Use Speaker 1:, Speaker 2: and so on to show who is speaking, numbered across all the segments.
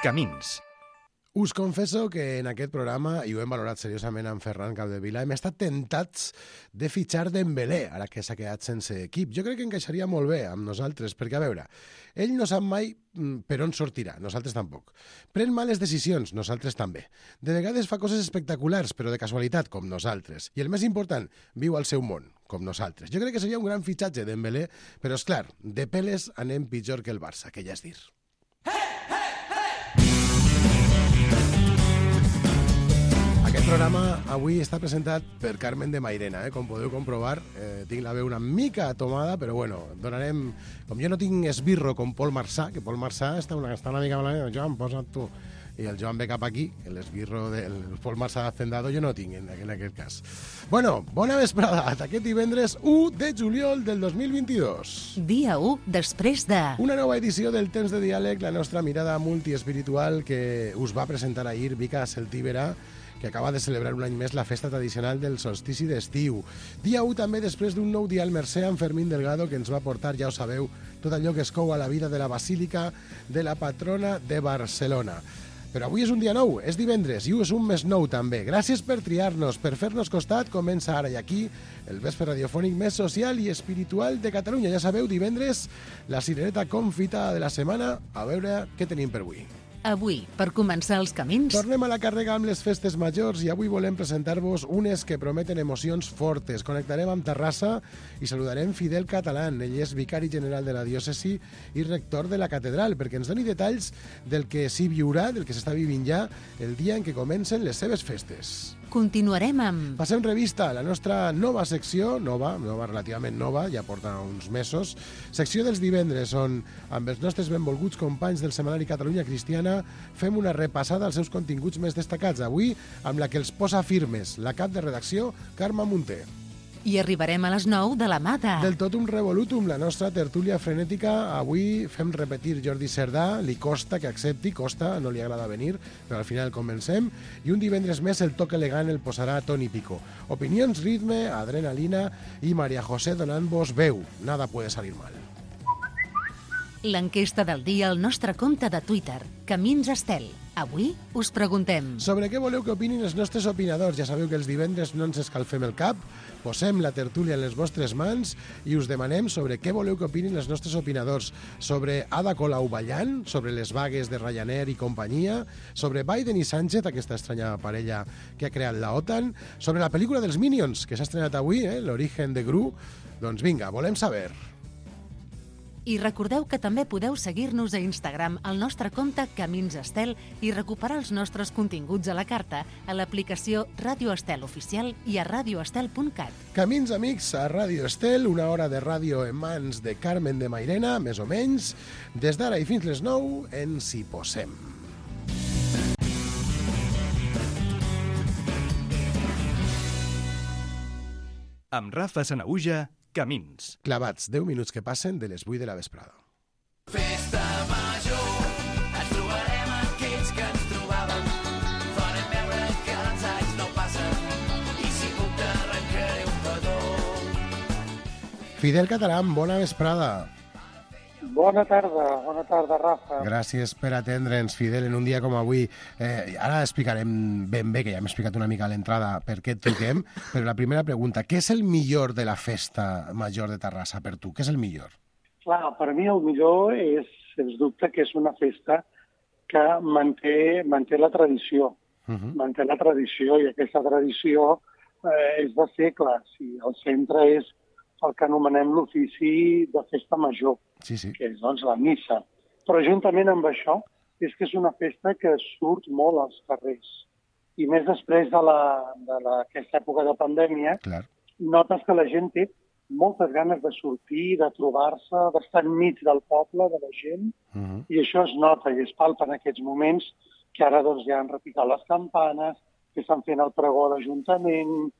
Speaker 1: Camins.
Speaker 2: Us confesso que en aquest programa, i ho hem valorat seriosament amb Ferran Capdevila, hem estat tentats de fitxar Dembélé, ara que s'ha quedat sense equip. Jo crec que encaixaria molt bé amb nosaltres, perquè, a veure, ell no sap mai per on sortirà, nosaltres tampoc. Pren males decisions, nosaltres també. De vegades fa coses espectaculars, però de casualitat, com nosaltres. I el més important, viu al seu món, com nosaltres. Jo crec que seria un gran fitxatge Dembélé, però, és clar, de peles anem pitjor que el Barça, que ja és dir. Aquest programa avui està presentat per Carmen de Mairena, com podeu comprovar. Tinc la veu una mica tomada, però bueno, donarem... Com jo no tinc esbirro com Pol Marçà, que Pol Marçà està una mica malament, Joan, posa't tu. I el Joan ve cap aquí, l'esbirro del Pol Marçà d'Hacendado jo no tinc en aquest cas. Bueno, bona vesprada, aquest divendres 1 de juliol del 2022.
Speaker 3: Dia 1 després de...
Speaker 2: Una nova edició del Temps de Diàleg, la nostra mirada multiespiritual que us va presentar ahir Mica Celtíbera, que acaba de celebrar un any més la festa tradicional del solstici d'estiu. Dia 1 també després d'un nou dia al Mercè amb Fermín Delgado, que ens va portar, ja ho sabeu, tot allò que es cou a la vida de la Basílica de la Patrona de Barcelona. Però avui és un dia nou, és divendres, i és un mes nou també. Gràcies per triar-nos, per fer-nos costat. Comença ara i aquí el vespre radiofònic més social i espiritual de Catalunya. Ja sabeu, divendres, la cirereta confita de la setmana. A veure què tenim per avui.
Speaker 3: Avui, per començar els camins...
Speaker 2: Tornem a la càrrega amb les festes majors i avui volem presentar-vos unes que prometen emocions fortes. Connectarem amb Terrassa i saludarem Fidel Catalán. Ell és vicari general de la diòcesi i rector de la catedral, perquè ens doni detalls del que s'hi viurà, del que s'està vivint ja, el dia en què comencen les seves festes.
Speaker 3: Continuarem amb...
Speaker 2: Passem revista a la nostra nova secció, nova, relativament nova, ja porta uns mesos, secció dels divendres, on amb els nostres benvolguts companys del setmanari Catalunya Cristiana fem una repassada als seus continguts més destacats. Avui, amb la que els posa firmes, la cap de redacció, Carme Munté.
Speaker 3: I arribarem a les 9 de la mà de...
Speaker 2: Del Totum Revolutum, la nostra tertúlia frenètica. Avui fem repetir Jordi Cerdà, li costa que accepti, costa, no li agrada venir, però al final comencem. I un divendres més el toc elegant el posarà Toni Pico. Opinions, ritme, adrenalina i Maria José donant-vos veu. Nada puede salir mal.
Speaker 3: L'enquesta del dia al nostre compte de Twitter, Camins Estel. Avui us preguntem...
Speaker 2: Sobre què voleu que opinin els nostres opinadors? Ja sabeu que els divendres no ens escalfem el cap, posem la tertúlia en les vostres mans i us demanem sobre què voleu que opinin els nostres opinadors. Sobre Ada Colau ballant, sobre les vagues de Ryanair i companyia, sobre Biden i Sánchez, aquesta estranya parella que ha creat la OTAN, sobre la pel·lícula dels Minions, que s'ha estrenat avui, l'origen de Gru. Doncs vinga, volem saber...
Speaker 3: I recordeu que també podeu seguir-nos a Instagram al nostre compte Camins Estel i recuperar els nostres continguts a la carta a l'aplicació Ràdio Estel Oficial i a radioestel.cat.
Speaker 2: Camins amics a Ràdio Estel, una hora de ràdio en mans de Carmen de Mairena, més o menys. Des d'ara i fins les 9 ens hi posem.
Speaker 1: Amb Rafa Sanaüja, Camins.
Speaker 2: Clavats, 10 minuts que passen de les 8 de la vesprada.
Speaker 4: Festa major, ens trobarem aquells que ens trobàvem. Farem veure que els anys no passen i si puc t'arrencaré un petó.
Speaker 2: Fidel Catalán, bona vesprada.
Speaker 5: Bona tarda, Rafa.
Speaker 2: Gràcies per atendre'ns, Fidel, en un dia com avui. Ara explicarem ben bé, que ja hem explicat una mica a l'entrada per què et truquem, però la primera pregunta, què és el millor de la festa major de Terrassa per tu? Què és el millor?
Speaker 5: Clar, per mi el millor és, sens dubte, que és una festa que manté la tradició. Manté la tradició i aquesta tradició és de segles i el centre és el que anomenem l'ofici de festa major,
Speaker 2: sí.
Speaker 5: Que és doncs, la missa. Però juntament amb això és que és una festa que surt molt als carrers. I més després d'aquesta època de pandèmia,
Speaker 2: Clar.
Speaker 5: Notes que la gent té moltes ganes de sortir, de trobar-se, d'estar enmig del poble, de la gent, i això es nota i es palpa en aquests moments que ara doncs, ja han repicat les campanes, que estan fent el pregó d'Ajuntament,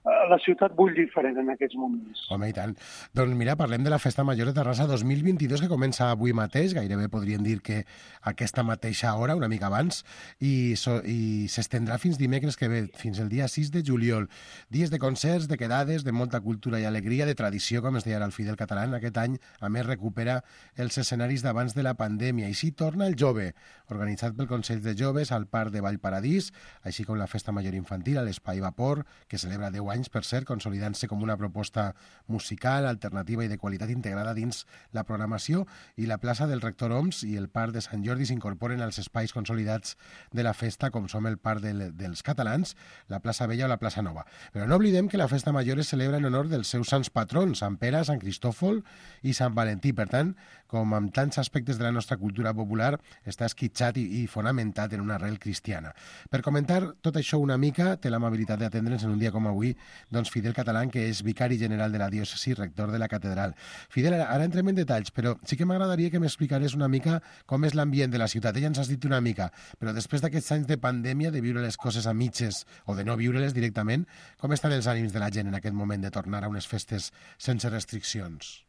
Speaker 5: la ciutat bull diferent en aquests moments.
Speaker 2: Home, i tant. Doncs mira, parlem de la Festa Major de Terrassa 2022, que comença avui mateix, gairebé podríem dir que aquesta mateixa hora, una mica abans, i s'estendrà fins dimecres que ve, fins el dia 6 de juliol. Dies de concerts, de quedades, de molta cultura i alegria, de tradició, com es deia ara el Fidel Catalán. Aquest any, a més, recupera els escenaris d'abans de la pandèmia. I sí, torna el Jove, organitzat pel Consell de Joves al Parc de Vallparadís, així com la Festa Major Infantil a l'Espai Vapor, que celebra 10 anys, per cert, consolidant-se com una proposta musical, alternativa i de qualitat integrada dins la programació, i la plaça del Rector Oms i el Parc de Sant Jordi s'incorporen als espais consolidats de la festa, com som el Parc dels Catalans, la plaça Vella o la plaça Nova. Però no oblidem que la Festa Major es celebra en honor dels seus sants patrons, Sant Pere, Sant Cristòfol i Sant Valentí. Per tant, com amb tants aspectes de la nostra cultura popular, està esquitxat i fonamentat en una arrel cristiana. Per comentar tot això una mica, té l'amabilitat d'atendre'ns en un dia com avui, doncs Fidel Catalán, que és vicari general de la diòcesi, rector de la catedral. Fidel, ara entrem en detalls, però sí que m'agradaria que m'explicares una mica com és l'ambient de la ciutat. Ja ens has dit una mica, però després d'aquests anys de pandèmia, de viure les coses a mitges o de no viure-les directament, com estan els ànims de la gent en aquest moment de tornar a unes festes sense restriccions?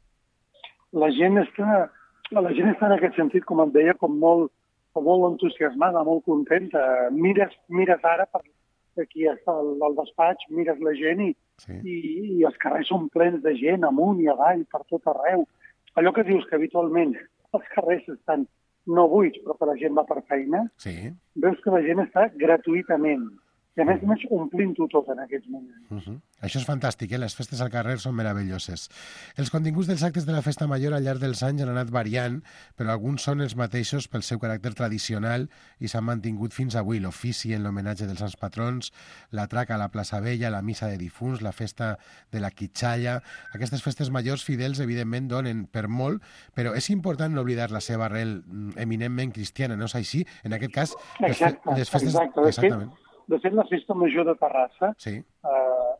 Speaker 5: La gent està en aquest sentit, com et deia, com molt entusiasmada, molt contenta. Mires ara per aquí està el despatx, mires la gent i els carrers són plens de gent, amunt i avall, per tot arreu. Allò que dius que habitualment els carrers estan no buits, però que la gent va per feina, veus que la gent està gratuïtament. I a més omplint-ho tot en aquests moments.
Speaker 2: Això és fantàstic, les festes al carrer són meravelloses. Els continguts dels actes de la Festa Major al llarg dels anys han anat variant, però alguns són els mateixos pel seu caràcter tradicional i s'han mantingut fins avui. L'ofici en l'homenatge dels sants patrons, la traca a la plaça Vella, la missa de difunts, la festa de la Quitxalla. Aquestes festes majors fidels, evidentment, donen per molt, però és important no oblidar la seva arrel eminentment cristiana, no és així? En aquest cas, les festes... Exactament.
Speaker 5: De fet, la Festa Major de Terrassa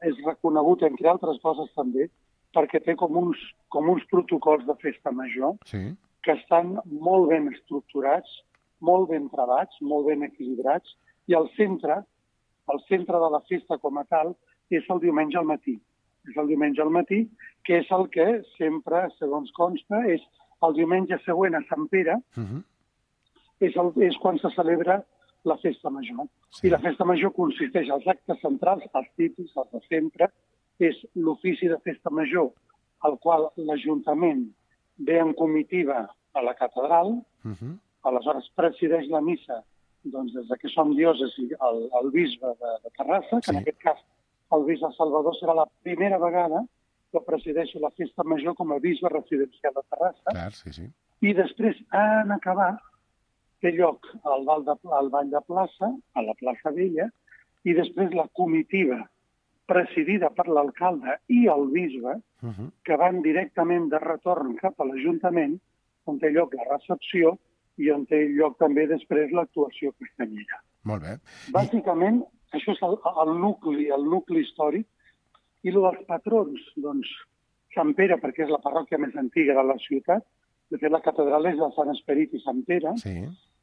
Speaker 5: és reconegut, entre altres coses també, perquè té com uns protocols de Festa Major que estan molt ben estructurats, molt ben travats, molt ben equilibrats, i el centre de la festa com a tal és el diumenge al matí. És el diumenge al matí, que és el que sempre, segons consta, és el diumenge següent a Sant Pere, és quan se celebra la Festa Major. I la Festa Major consisteix als actes centrals, els típics, els de sempre, és l'ofici de Festa Major, al qual l'Ajuntament ve en comitiva a la catedral, aleshores presideix la missa, doncs des que som diòcesi, el bisbe de Terrassa, que en aquest cas el bisbe Salvador serà la primera vegada que presideix la Festa Major com a bisbe residencial de Terrassa. I després, en acabar, té lloc al ball de plaça, a la plaça Vella, i després la comitiva presidida per l'alcalde i el bisbe, que van directament de retorn cap a l'Ajuntament, on té lloc la recepció i on té lloc també després l'actuació castanyera.
Speaker 2: Molt bé.
Speaker 5: Bàsicament, això és el nucli històric, i el dels patrons, doncs, Sant Pere, perquè és la parròquia més antiga de la ciutat, de fet la catedral és de Sant Esperit i Sant Pere,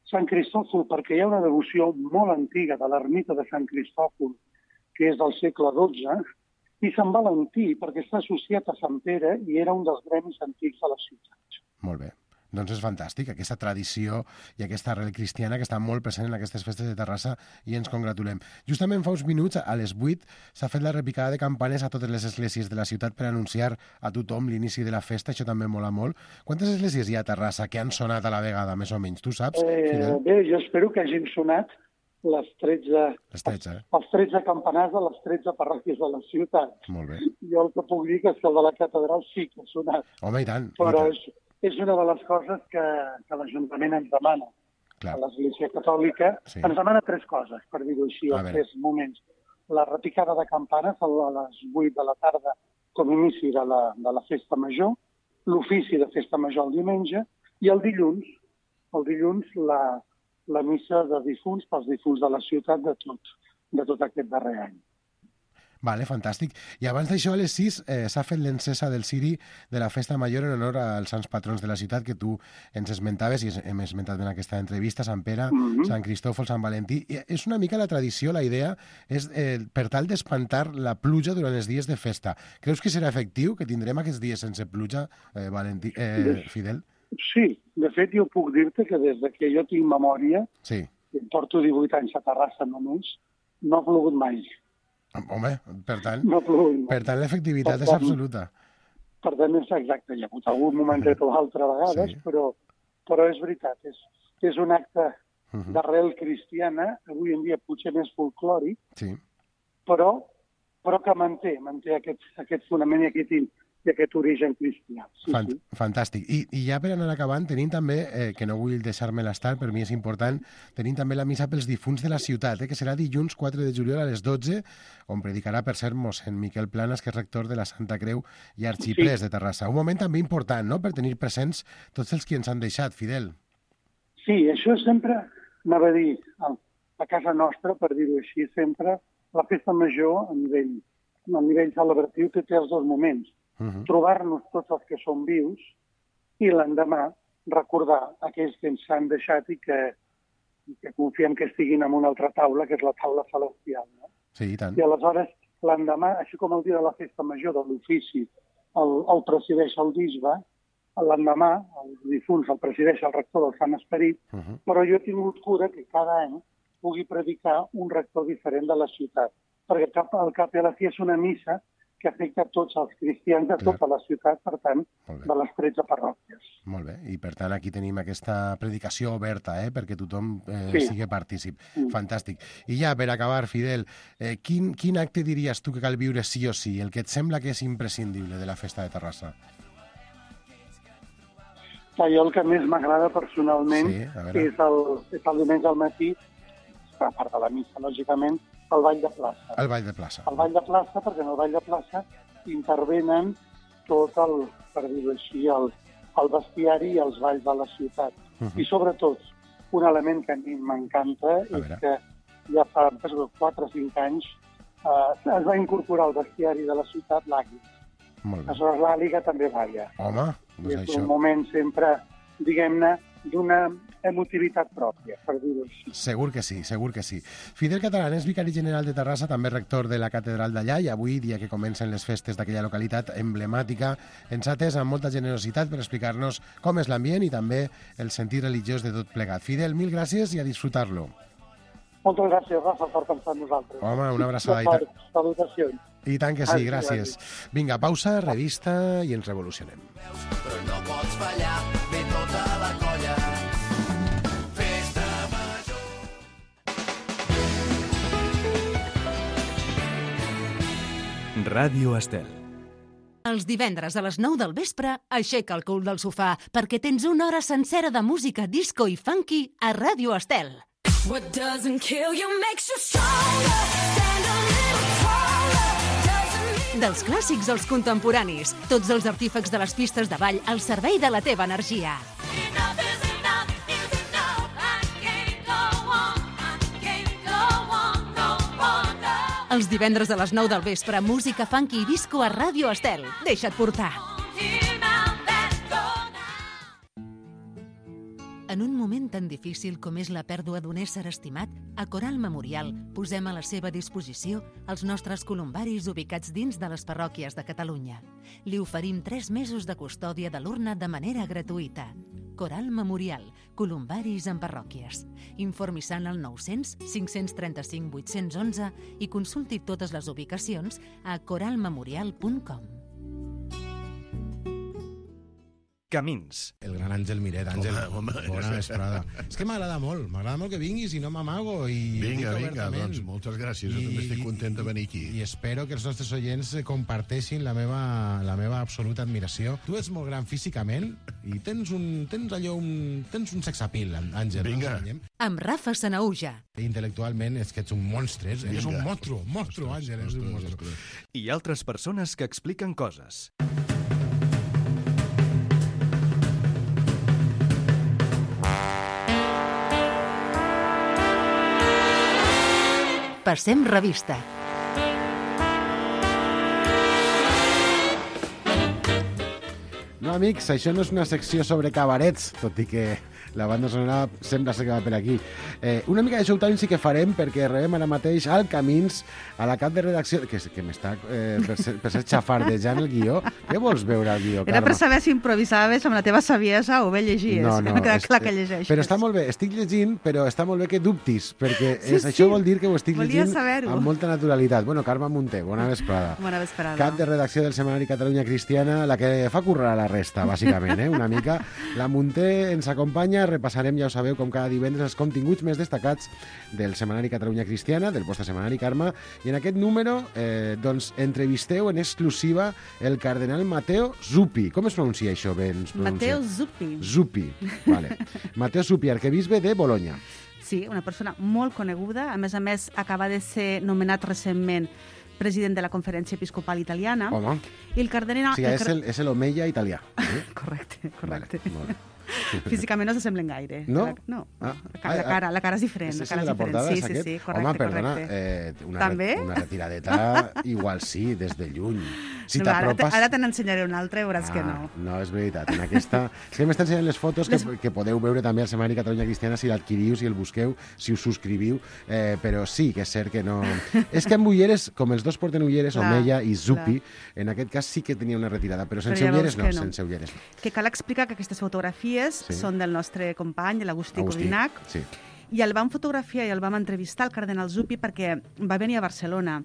Speaker 5: Sant Cristòfol, perquè hi ha una devoció molt antiga de l'ermita de Sant Cristòfol, que és del segle XII, i Sant Valentí, perquè està associat a Sant Pere i era un dels gremis antics de la ciutat.
Speaker 2: Molt bé. Doncs és fantàstic, aquesta tradició i aquesta arrel cristiana que està molt present en aquestes festes de Terrassa i ens congratulem. Justament fa uns minuts, a les 8, s'ha fet la repicada de campanes a totes les esglésies de la ciutat per anunciar a tothom l'inici de la festa, això també mola molt. Quantes esglésies hi ha a Terrassa que han sonat a la vegada, més o menys? Tu saps, Fidel?
Speaker 5: Bé, jo espero que hagin sonat els 13 campanars de les 13 parròquies de la ciutat.
Speaker 2: Molt bé.
Speaker 5: Jo el que puc dir que és que el de la catedral sí que ha sonat.
Speaker 2: Home, i tant.
Speaker 5: Però és una de les coses que l'Ajuntament ens demana. A l'Església Catòlica ens demana 3 coses, per dir-ho així, en 3 moments. La repicada de campanes a les 8 de la tarda com a inici de la Festa Major, l'ofici de Festa Major el diumenge, i el dilluns la missa de difunts pels difunts de la ciutat de tot aquest darrer any.
Speaker 2: Vale, fantàstic. I abans d'això, a les 6, s'ha fet l'encesa del ciri de la festa major en honor als sants patrons de la ciutat que tu ens esmentaves i hem esmentat en aquesta entrevista, Sant Pere, Sant Cristòfol, Sant Valentí. I és una mica la tradició, la idea és per tal d'espantar la pluja durant els dies de festa. Creus que serà efectiu, que tindrem aquests dies sense pluja, Fidel?
Speaker 5: Sí, de fet jo puc dir-te que des que jo tinc memòria,
Speaker 2: Sí.
Speaker 5: que porto 18 anys a Terrassa només, no ha plogut mai.
Speaker 2: Home, per tant,
Speaker 5: No ha plogut mai.
Speaker 2: l'efectivitat
Speaker 5: Per
Speaker 2: és
Speaker 5: tant,
Speaker 2: absoluta.
Speaker 5: Per tant, és exacte. Hi ha hagut algun momentet o altre a vegades,
Speaker 2: Sí.
Speaker 5: però és veritat. És un acte d'arrel cristiana, avui en dia potser més folclòric,
Speaker 2: Sí.
Speaker 5: però que manté aquest fonament i aquest origen cristià. Sí, sí.
Speaker 2: Fantàstic. I ja per anar acabant, tenim també, que no vull deixar-me-la estar, per mi és important, tenim també la missa pels difunts de la ciutat, que serà dilluns 4 de juliol a les 12, on predicarà, per cert, mossèn Miquel Planas, que és rector de la Santa Creu i arxiprés de Terrassa. Un moment també important, no?, per tenir presents tots els qui ens han deixat, Fidel.
Speaker 5: Sí, això sempre, anava a dir, a casa nostra, per dir-ho així, sempre la festa major a nivell celebratiu té els dos moments. Trobar-nos tots els que som vius i l'endemà recordar aquells que ens han deixat i que confiem que estiguin en una altra taula, que és la taula celestial. No?
Speaker 2: Sí, i tant.
Speaker 5: I aleshores, l'endemà, així com el dia de la festa major de l'ofici el presideix el bisbe, l'endemà els difunts el presideix el rector del Sant Esperit, però jo he tingut cura que cada any pugui predicar un rector diferent de la ciutat, perquè al cap i a la fi és una missa que afecta tots els cristians de tota la ciutat, per tant, de les 13 parròquies.
Speaker 2: Molt bé, i per tant aquí tenim aquesta predicació oberta, perquè tothom sigui partícip. Fantàstic. I ja, per acabar, Fidel, quin acte diries tu que cal viure sí o sí, el que et sembla que és imprescindible de la festa de Terrassa?
Speaker 5: Jo el que més m'agrada personalment és el diumenge al matí, a part de la missa, lògicament, el ball de plaça.
Speaker 2: El ball de plaça.
Speaker 5: El ball de plaça, perquè en el ball de plaça intervenen tot per dir-ho així, el bestiari i els balls de la ciutat. I sobretot, un element que a mi m'encanta és que ja fa 4 o 5 anys es va incorporar al bestiari de la ciutat l'àguila. Aleshores l'àliga també balla.
Speaker 2: Home, doncs
Speaker 5: és
Speaker 2: això...
Speaker 5: un moment sempre, diguem-ne, d'una emotivitat pròpia, per dir-ho així.
Speaker 2: Segur que sí, segur que sí. Fidel Catalán és vicari general de Terrassa, també rector de la catedral d'allà, i avui, dia que comencen les festes d'aquella localitat emblemàtica, ens ha atès amb molta generositat per explicar-nos com és l'ambient i també el sentit religiós de tot plegat. Fidel, mil gràcies i a disfrutar-lo.
Speaker 5: Moltes gràcies, Rafa, per pensar en nosaltres.
Speaker 2: Home, una abraçada.
Speaker 5: Salutacions.
Speaker 2: I tant que sí, gràcies. Vinga, pausa, revista i ens revolucionem.
Speaker 4: Però no pots fallar, ve tota la colla. Festa major.
Speaker 1: Ràdio Estel.
Speaker 3: Els divendres a les 9 del vespre, aixeca el cul del sofà perquè tens una hora sencera de música disco i funky a Ràdio Estel.
Speaker 6: What doesn't kill you makes you stronger. Stand a little taller.
Speaker 3: Dels clàssics als contemporanis, tots els artífecs de les pistes de ball al servei de la teva energia.
Speaker 6: Enough is enough is enough. I can't go on. I can't go on no more. No.
Speaker 3: Els divendres a les 9 del vespre, música funky i disco a Ràdio Estel. Deixa't portar.
Speaker 6: Here now, let's go now.
Speaker 3: En un moment tan difícil com és la pèrdua d'un ésser estimat, a Coral Memorial posem a la seva disposició els nostres columbaris ubicats dins de les parròquies de Catalunya. Li oferim 3 mesos de custòdia de l'urna de manera gratuïta. Coral Memorial, columbaris en parròquies. Informi-se'n al 900 535 811 i consulti totes les ubicacions a coralmemorial.com.
Speaker 1: Camins.
Speaker 7: El gran Àngel Miret. Àngel,
Speaker 8: Home,
Speaker 7: bona vesprada. És que m'agrada molt que vinguis i no m'amago.
Speaker 8: Vinga, doncs moltes gràcies. Jo també estic content de venir aquí.
Speaker 7: I espero que els nostres oients comparteixin la meva absoluta admiració. Tu ets molt gran físicament i tens un sex appeal, Àngel.
Speaker 8: Vinga.
Speaker 3: Amb Rafa Sanauja.
Speaker 7: Intel·lectualment és que ets un monstre. És un monstru, Àngel. És un monstru.
Speaker 1: I altres persones que expliquen coses.
Speaker 3: Passem revista.
Speaker 2: No, amics, això no és una secció sobre cabarets, tot i que la banda sonora sembla ser que va per aquí. Una mica de showtime sí que farem, perquè rebem ara mateix al Camins, a la cap de redacció, que m'està per ser xafardejant el guió. Què vols veure al guió, Carme?
Speaker 9: Era per saber si improvisaves amb la teva saviesa o bé llegies.
Speaker 2: No,
Speaker 9: m'ha quedat clar que llegeixes.
Speaker 2: Però està molt bé, estic llegint, però està molt bé que dubtis, perquè
Speaker 9: Sí,
Speaker 2: això vol dir que ho estic
Speaker 9: Volia
Speaker 2: llegint
Speaker 9: saber-ho.
Speaker 2: amb molta naturalitat. Bueno, Carme Munté, bona vesprada.
Speaker 9: Bona vesprada.
Speaker 2: Cap de redacció del setmanari Catalunya Cristiana, la que fa currar a la resta, bàsicament, una mica. La Munté ens acompanya, repassarem, ja ho sabeu, com cada divendres, els continguts més destacats del setmanari Catalunya Cristiana, del vostre setmanari, Carme, i en aquest número, doncs, entrevisteu en exclusiva el cardenal Matteo Zuppi. Com es pronuncia això bé?
Speaker 9: Matteo Zuppi.
Speaker 2: Zuppi, vale. Matteo Zuppi, arquebisbe de Bologna.
Speaker 9: Sí, una persona molt coneguda. A més, acaba de ser nomenat recentment president de la Conferència Episcopal Italiana.
Speaker 2: Home.
Speaker 9: I el cardenal...
Speaker 2: O sigui, és l'Omeia italià.
Speaker 9: Correcte.
Speaker 2: Vale, molt bé.
Speaker 9: Físicament no s'assemblen gaire.
Speaker 2: No?
Speaker 9: No.
Speaker 2: Ah.
Speaker 9: La cara és diferent.
Speaker 2: És
Speaker 9: la cara
Speaker 2: de la portada,
Speaker 9: sí,
Speaker 2: és aquest?
Speaker 9: sí, correcte.
Speaker 2: Home, perdona,
Speaker 9: També?
Speaker 2: una retiradeta igual sí, des de lluny. Si t'apropes...
Speaker 9: Ara te n'ensenyaré una altra i veuràs que no.
Speaker 2: No, és veritat. En aquesta... És que m'estan ensenyant les fotos que podeu veure també al setmanari Catalunya Cristiana si l'adquiriu, si el busqueu, si us subscriviu, però sí que és cert que no... És que amb ulleres, com els dos porten ulleres, Omeia i Zuppi, en aquest cas sí que tenia una retirada, però sense ulleres no, sense ulleres no.
Speaker 9: Que cal explicar que aquestes fotografies són del nostre company, l'Agustí Codinac,
Speaker 2: sí.
Speaker 9: I el vam fotografiar i el vam entrevistar, el cardenal Zuppi, perquè va venir a Barcelona.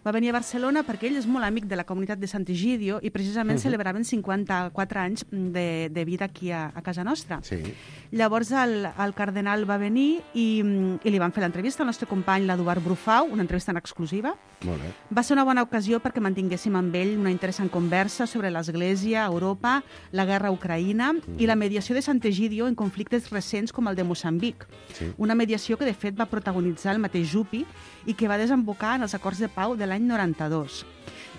Speaker 9: Va venir a Barcelona perquè ell és molt amic de la comunitat de Sant Egidio i precisament celebraven 54 anys de vida aquí a casa nostra.
Speaker 2: Sí.
Speaker 9: Llavors el cardenal va venir i li van fer l'entrevista al nostre company, l'Eduard Brufau, una entrevista en exclusiva.
Speaker 2: Molt bé.
Speaker 9: Va ser una bona ocasió perquè mantinguéssim amb ell una interessant conversa sobre l'Església, Europa, la guerra a Ucraïna i la mediació de Sant Egidio en conflictes recents com el de Moçambic.
Speaker 2: Sí.
Speaker 9: Una mediació que, de fet, va protagonitzar el mateix Zuppi i que va desembocar en els acords de pau de l'any 92.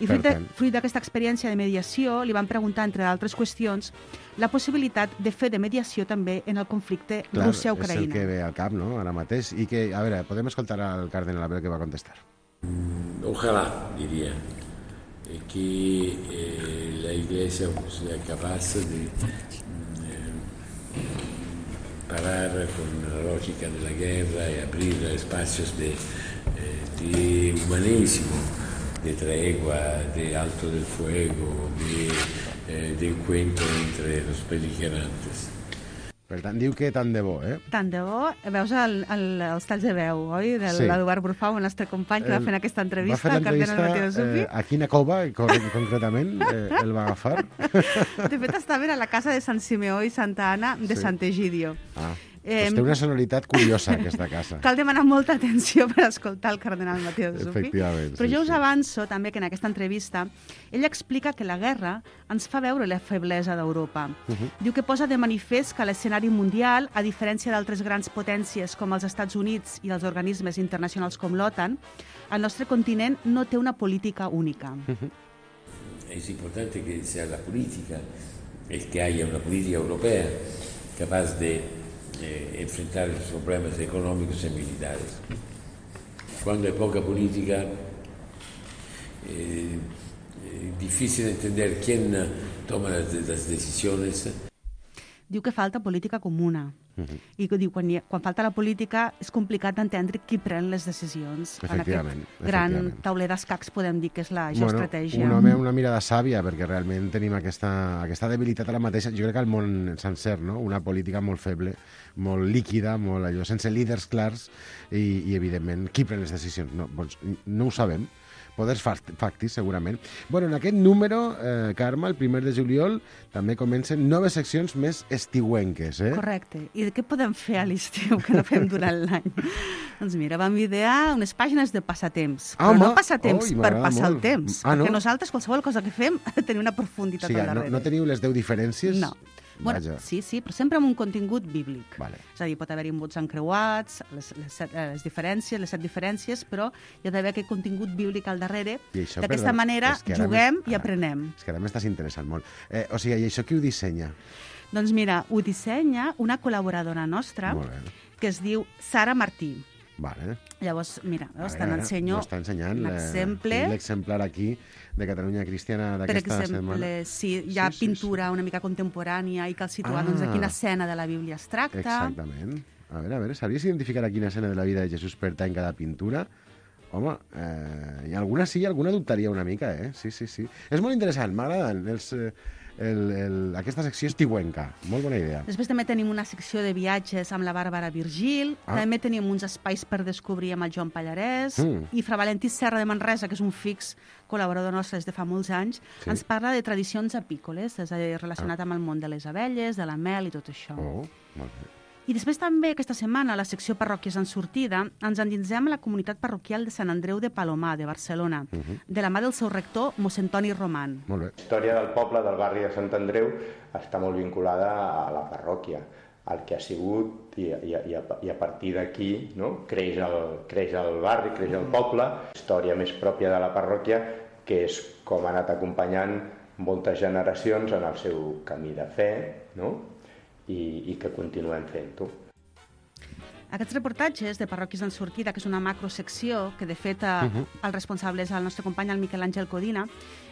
Speaker 9: I fruit d'aquesta experiència de mediació, li van preguntar, entre d'altres qüestions, la possibilitat de fer de mediació també en el conflicte Rússia-Ucraïna.
Speaker 2: És el que ve al cap, no?, ara mateix. I que, a veure, podem escoltar al cardenal a veure què va contestar.
Speaker 10: Ojalá, diría, que la Iglesia sea capaz de parar con la lógica de la guerra y abrir espacios de humanismo, de tregua, de alto del fuego, de encuentro entre los beligerantes.
Speaker 2: Per tant, diu que tant de bo, eh?
Speaker 9: Tant de bo. Veus els talls de veu, oi? De l'Eduard Brufau, el nostre company, que va fer aquesta entrevista.
Speaker 2: Va fer l'entrevista a quina cova, concretament, el va agafar?
Speaker 9: De fet, estaven a la casa de Sant Simeó i Santa Anna de Sant Egidio.
Speaker 2: Doncs té una sonoritat curiosa, aquesta casa.
Speaker 9: Cal demanar molta atenció per escoltar el cardenal Matteo Zuppi.
Speaker 2: Efectivament.
Speaker 9: Però jo us avanço també que en aquesta entrevista ell explica que la guerra ens fa veure la feblesa d'Europa. Diu que posa de manifest que a l'escenari mundial, a diferència d'altres grans potències com els Estats Units i dels organismes internacionals com l'OTAN, el nostre continent no té una política única.
Speaker 10: Es importante que sea la política, es que haya una política europea capaz de enfrentar los problemas económicos y militares. Cuando hay poca política, es difícil entender quién toma las decisiones.
Speaker 9: Diu que falta política comuna. I diu que quan falta la política és complicat d'entendre qui pren les decisions.
Speaker 2: Efectivament.
Speaker 9: En aquest gran tauler d'escacs podem dir que és la geoestratègia.
Speaker 2: Una mirada sàvia, perquè realment tenim aquesta debilitat a la mateixa, jo crec que al món sencer, no? Una política molt feble, molt líquida, molt allò, sense líders clars i evidentment, qui pren les decisions? No ho sabem. Poders factis, segurament. Bueno, en aquest número, Carme, el 1 de juliol, també comencen noves seccions més estiuenques, eh?
Speaker 9: Correcte. I què podem fer a l'estiu que no fem durant l'any? Doncs mira, vam idear unes pàgines de passatemps. Però no passatemps per passar el temps. Perquè nosaltres, qualsevol cosa que fem, ha de tenir una profunditat al darrere.
Speaker 2: No teniu les 10 diferències?
Speaker 9: No. Bueno, sí, però sempre amb un contingut bíblic.
Speaker 2: Vale.
Speaker 9: És a dir, pot haver-hi mots encreuats, les diferències, les 7 diferències, però hi ha d'haver aquest contingut bíblic al darrere. D'aquesta manera juguem i aprenem.
Speaker 2: És que ara m'estàs interessant molt. O sigui, i això qui ho dissenya?
Speaker 9: Doncs mira, ho dissenya una col·laboradora nostra que es diu Sara Martí.
Speaker 2: Vale.
Speaker 9: Llavors, mira,
Speaker 2: A
Speaker 9: te'n
Speaker 2: veure,
Speaker 9: ensenyo
Speaker 2: m'ho està ensenyant
Speaker 9: un exemple.
Speaker 2: l'exemplar aquí de Catalunya Cristiana
Speaker 9: Per
Speaker 2: d'aquesta
Speaker 9: exemple,
Speaker 2: setmana.
Speaker 9: sí, hi ha pintura una mica contemporània i cal situar doncs, a quina escena de la Bíblia es tracta.
Speaker 2: Exactament. A veure, sabries identificar a quina escena de la vida de Jesús pertany cada pintura? Home, i alguna sí, alguna dubtaria una mica, eh? Sí. És molt interessant, m'agraden aquesta secció estiuenca. Molt bona idea.
Speaker 9: Després també tenim una secció de viatges amb la Bàrbara Virgil, també tenim uns espais per descobrir amb el Joan Pallarès, i Fra Valentí Serra de Manresa, que és un fix col·laborador nostre des de fa molts anys, ens parla de tradicions apícoles, és a dir, relacionat amb el món de les abelles, de la mel i tot això.
Speaker 2: Molt bé.
Speaker 9: I després també aquesta setmana, a la secció Parròquies en sortida, ens endinsem a la comunitat parroquial de Sant Andreu de Palomar, de Barcelona, de la mà del seu rector, mossèn Toni Roman.
Speaker 2: Molt bé.
Speaker 11: La història del poble, del barri de Sant Andreu, està molt vinculada a la parròquia, al que ha sigut, i a partir d'aquí creix el barri, creix el poble. La història més pròpia de la parròquia, que és com ha anat acompanyant moltes generacions en el seu camí de fe, i que continuem fent-ho.
Speaker 9: Aquests reportatges de Parròquies en sortida, que és una macrosecció, que de fet el responsable és el nostre company, el Miquel Àngel Codina,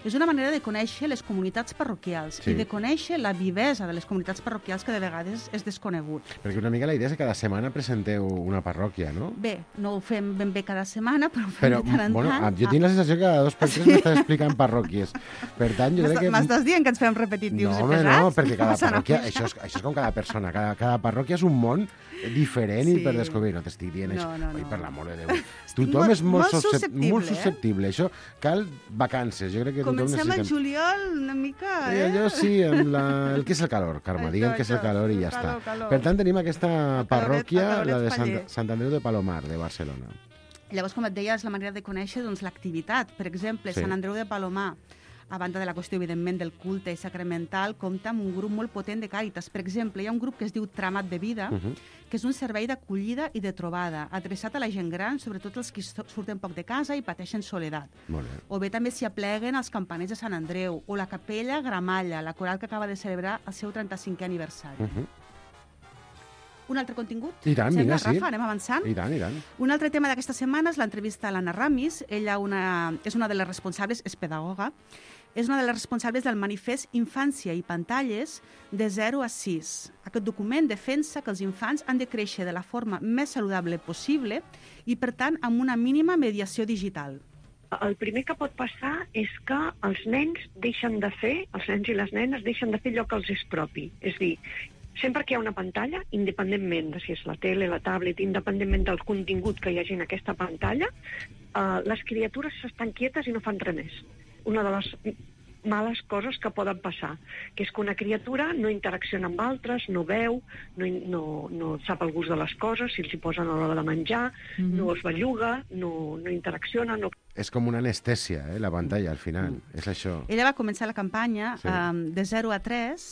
Speaker 9: és una manera de conèixer les comunitats parroquials i de conèixer la vivesa de les comunitats parroquials, que de vegades és desconegut.
Speaker 2: Perquè una mica la idea és que cada setmana presenteu una parròquia, no?
Speaker 9: Bé, no ho fem ben bé cada setmana, però ho fem de tant en tant.
Speaker 2: Jo tinc la sensació que cada 2 per 3 m'estàs explicant parròquies. Per tant, jo crec que...
Speaker 9: M'estàs dient que ens fem repetitius i pesats?
Speaker 2: No, perquè cada parròquia... Això és com cada persona. Cada parròquia és un món diferent i per descobrir. No t'estic dient això. Oi, per l'amor de Déu. Tothom és molt susceptible. Això cal vacances. Jo crec que tothom necessita...
Speaker 9: Comencem al juliol una mica,
Speaker 2: Allò sí, el que és el calor, Carme. Diguem que és el calor i ja està. Per tant, tenim aquesta parròquia, la de Sant Andreu de Palomar, de Barcelona.
Speaker 9: Llavors, com et deia, és la manera de conèixer l'activitat. Per exemple, Sant Andreu de Palomar, a banda de la qüestió, evidentment, del culte sacramental, compta amb un grup molt potent de càritas. Per exemple, hi ha un grup que es diu Tramat de Vida, que és un servei d'acollida i de trobada, adreçat a la gent gran, sobretot els que surten poc de casa i pateixen soledat. O bé també s'hi apleguen els campaners de Sant Andreu, o la capella Gramalla, la coral que acaba de celebrar el seu 35è aniversari. Un altre contingut?
Speaker 2: I tant, vinga, sí.
Speaker 9: Rafa, anem avançant?
Speaker 2: I tant.
Speaker 9: Un altre tema d'aquesta setmana és l'entrevista a l'Anna Ramis. Ella és una de les responsables, és pedagoga, és una de les responsables del manifest Infància i Pantalles de 0 a 6. Aquest document defensa que els infants han de créixer de la forma més saludable possible i, per tant, amb una mínima mediació digital.
Speaker 12: El primer que pot passar és que els nens i les nenes deixen de fer allò que els és propi. És dir, sempre que hi ha una pantalla, independentment de si és la tele, la tablet, independentment del contingut que hi hagi en aquesta pantalla, les criatures s'estan quietes i no fan res més. Una de les males coses que poden passar, que és que una criatura no interacciona amb altres, no veu, no sap el gust de les coses, si els hi posen a l'hora de menjar, no es belluga, no interacciona, no...
Speaker 2: És com una anestèsia, la pantalla, al final. És això.
Speaker 9: Ella va començar la campanya de 0 a 3,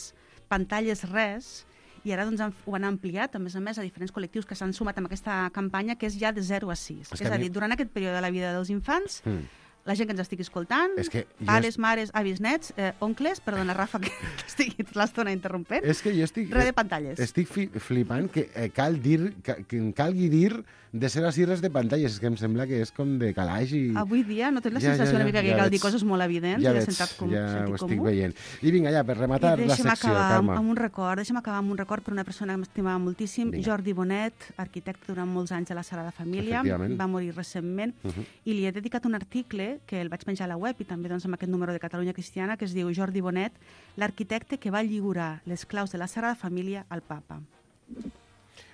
Speaker 9: pantalles res, i ara doncs, ho han ampliat, a més a diferents col·lectius que s'han sumat amb aquesta campanya, que és ja de 0 a 6. És a dir, durant aquest període de la vida dels infants, la gent que ens estigui escoltant, pares, mares, avis, nets, oncles, perdona, Rafa, que estigui l'estona interrompent, res de pantalles.
Speaker 2: Estic flipant que calgui dir de 0 a 6 res de pantalles. És que em sembla que és com de calaix i...
Speaker 9: Avui dia no tens la sensació una mica que cal dir coses molt evidents i de sentit comú.
Speaker 2: Ja ho estic veient. I vinga, ja, per rematar la secció, Carme.
Speaker 9: Deixa'm acabar amb un record per una persona que m'estimava moltíssim, Jordi Bonet, arquitecte durant molts anys a la Sagrada Família, va morir recentment, i li he dedicat un article que el vaig penjar a la web i també doncs, amb aquest número de Catalunya Cristiana, que es diu Jordi Bonet, l'arquitecte que va lliurar les claus de la Sagrada Família al Papa.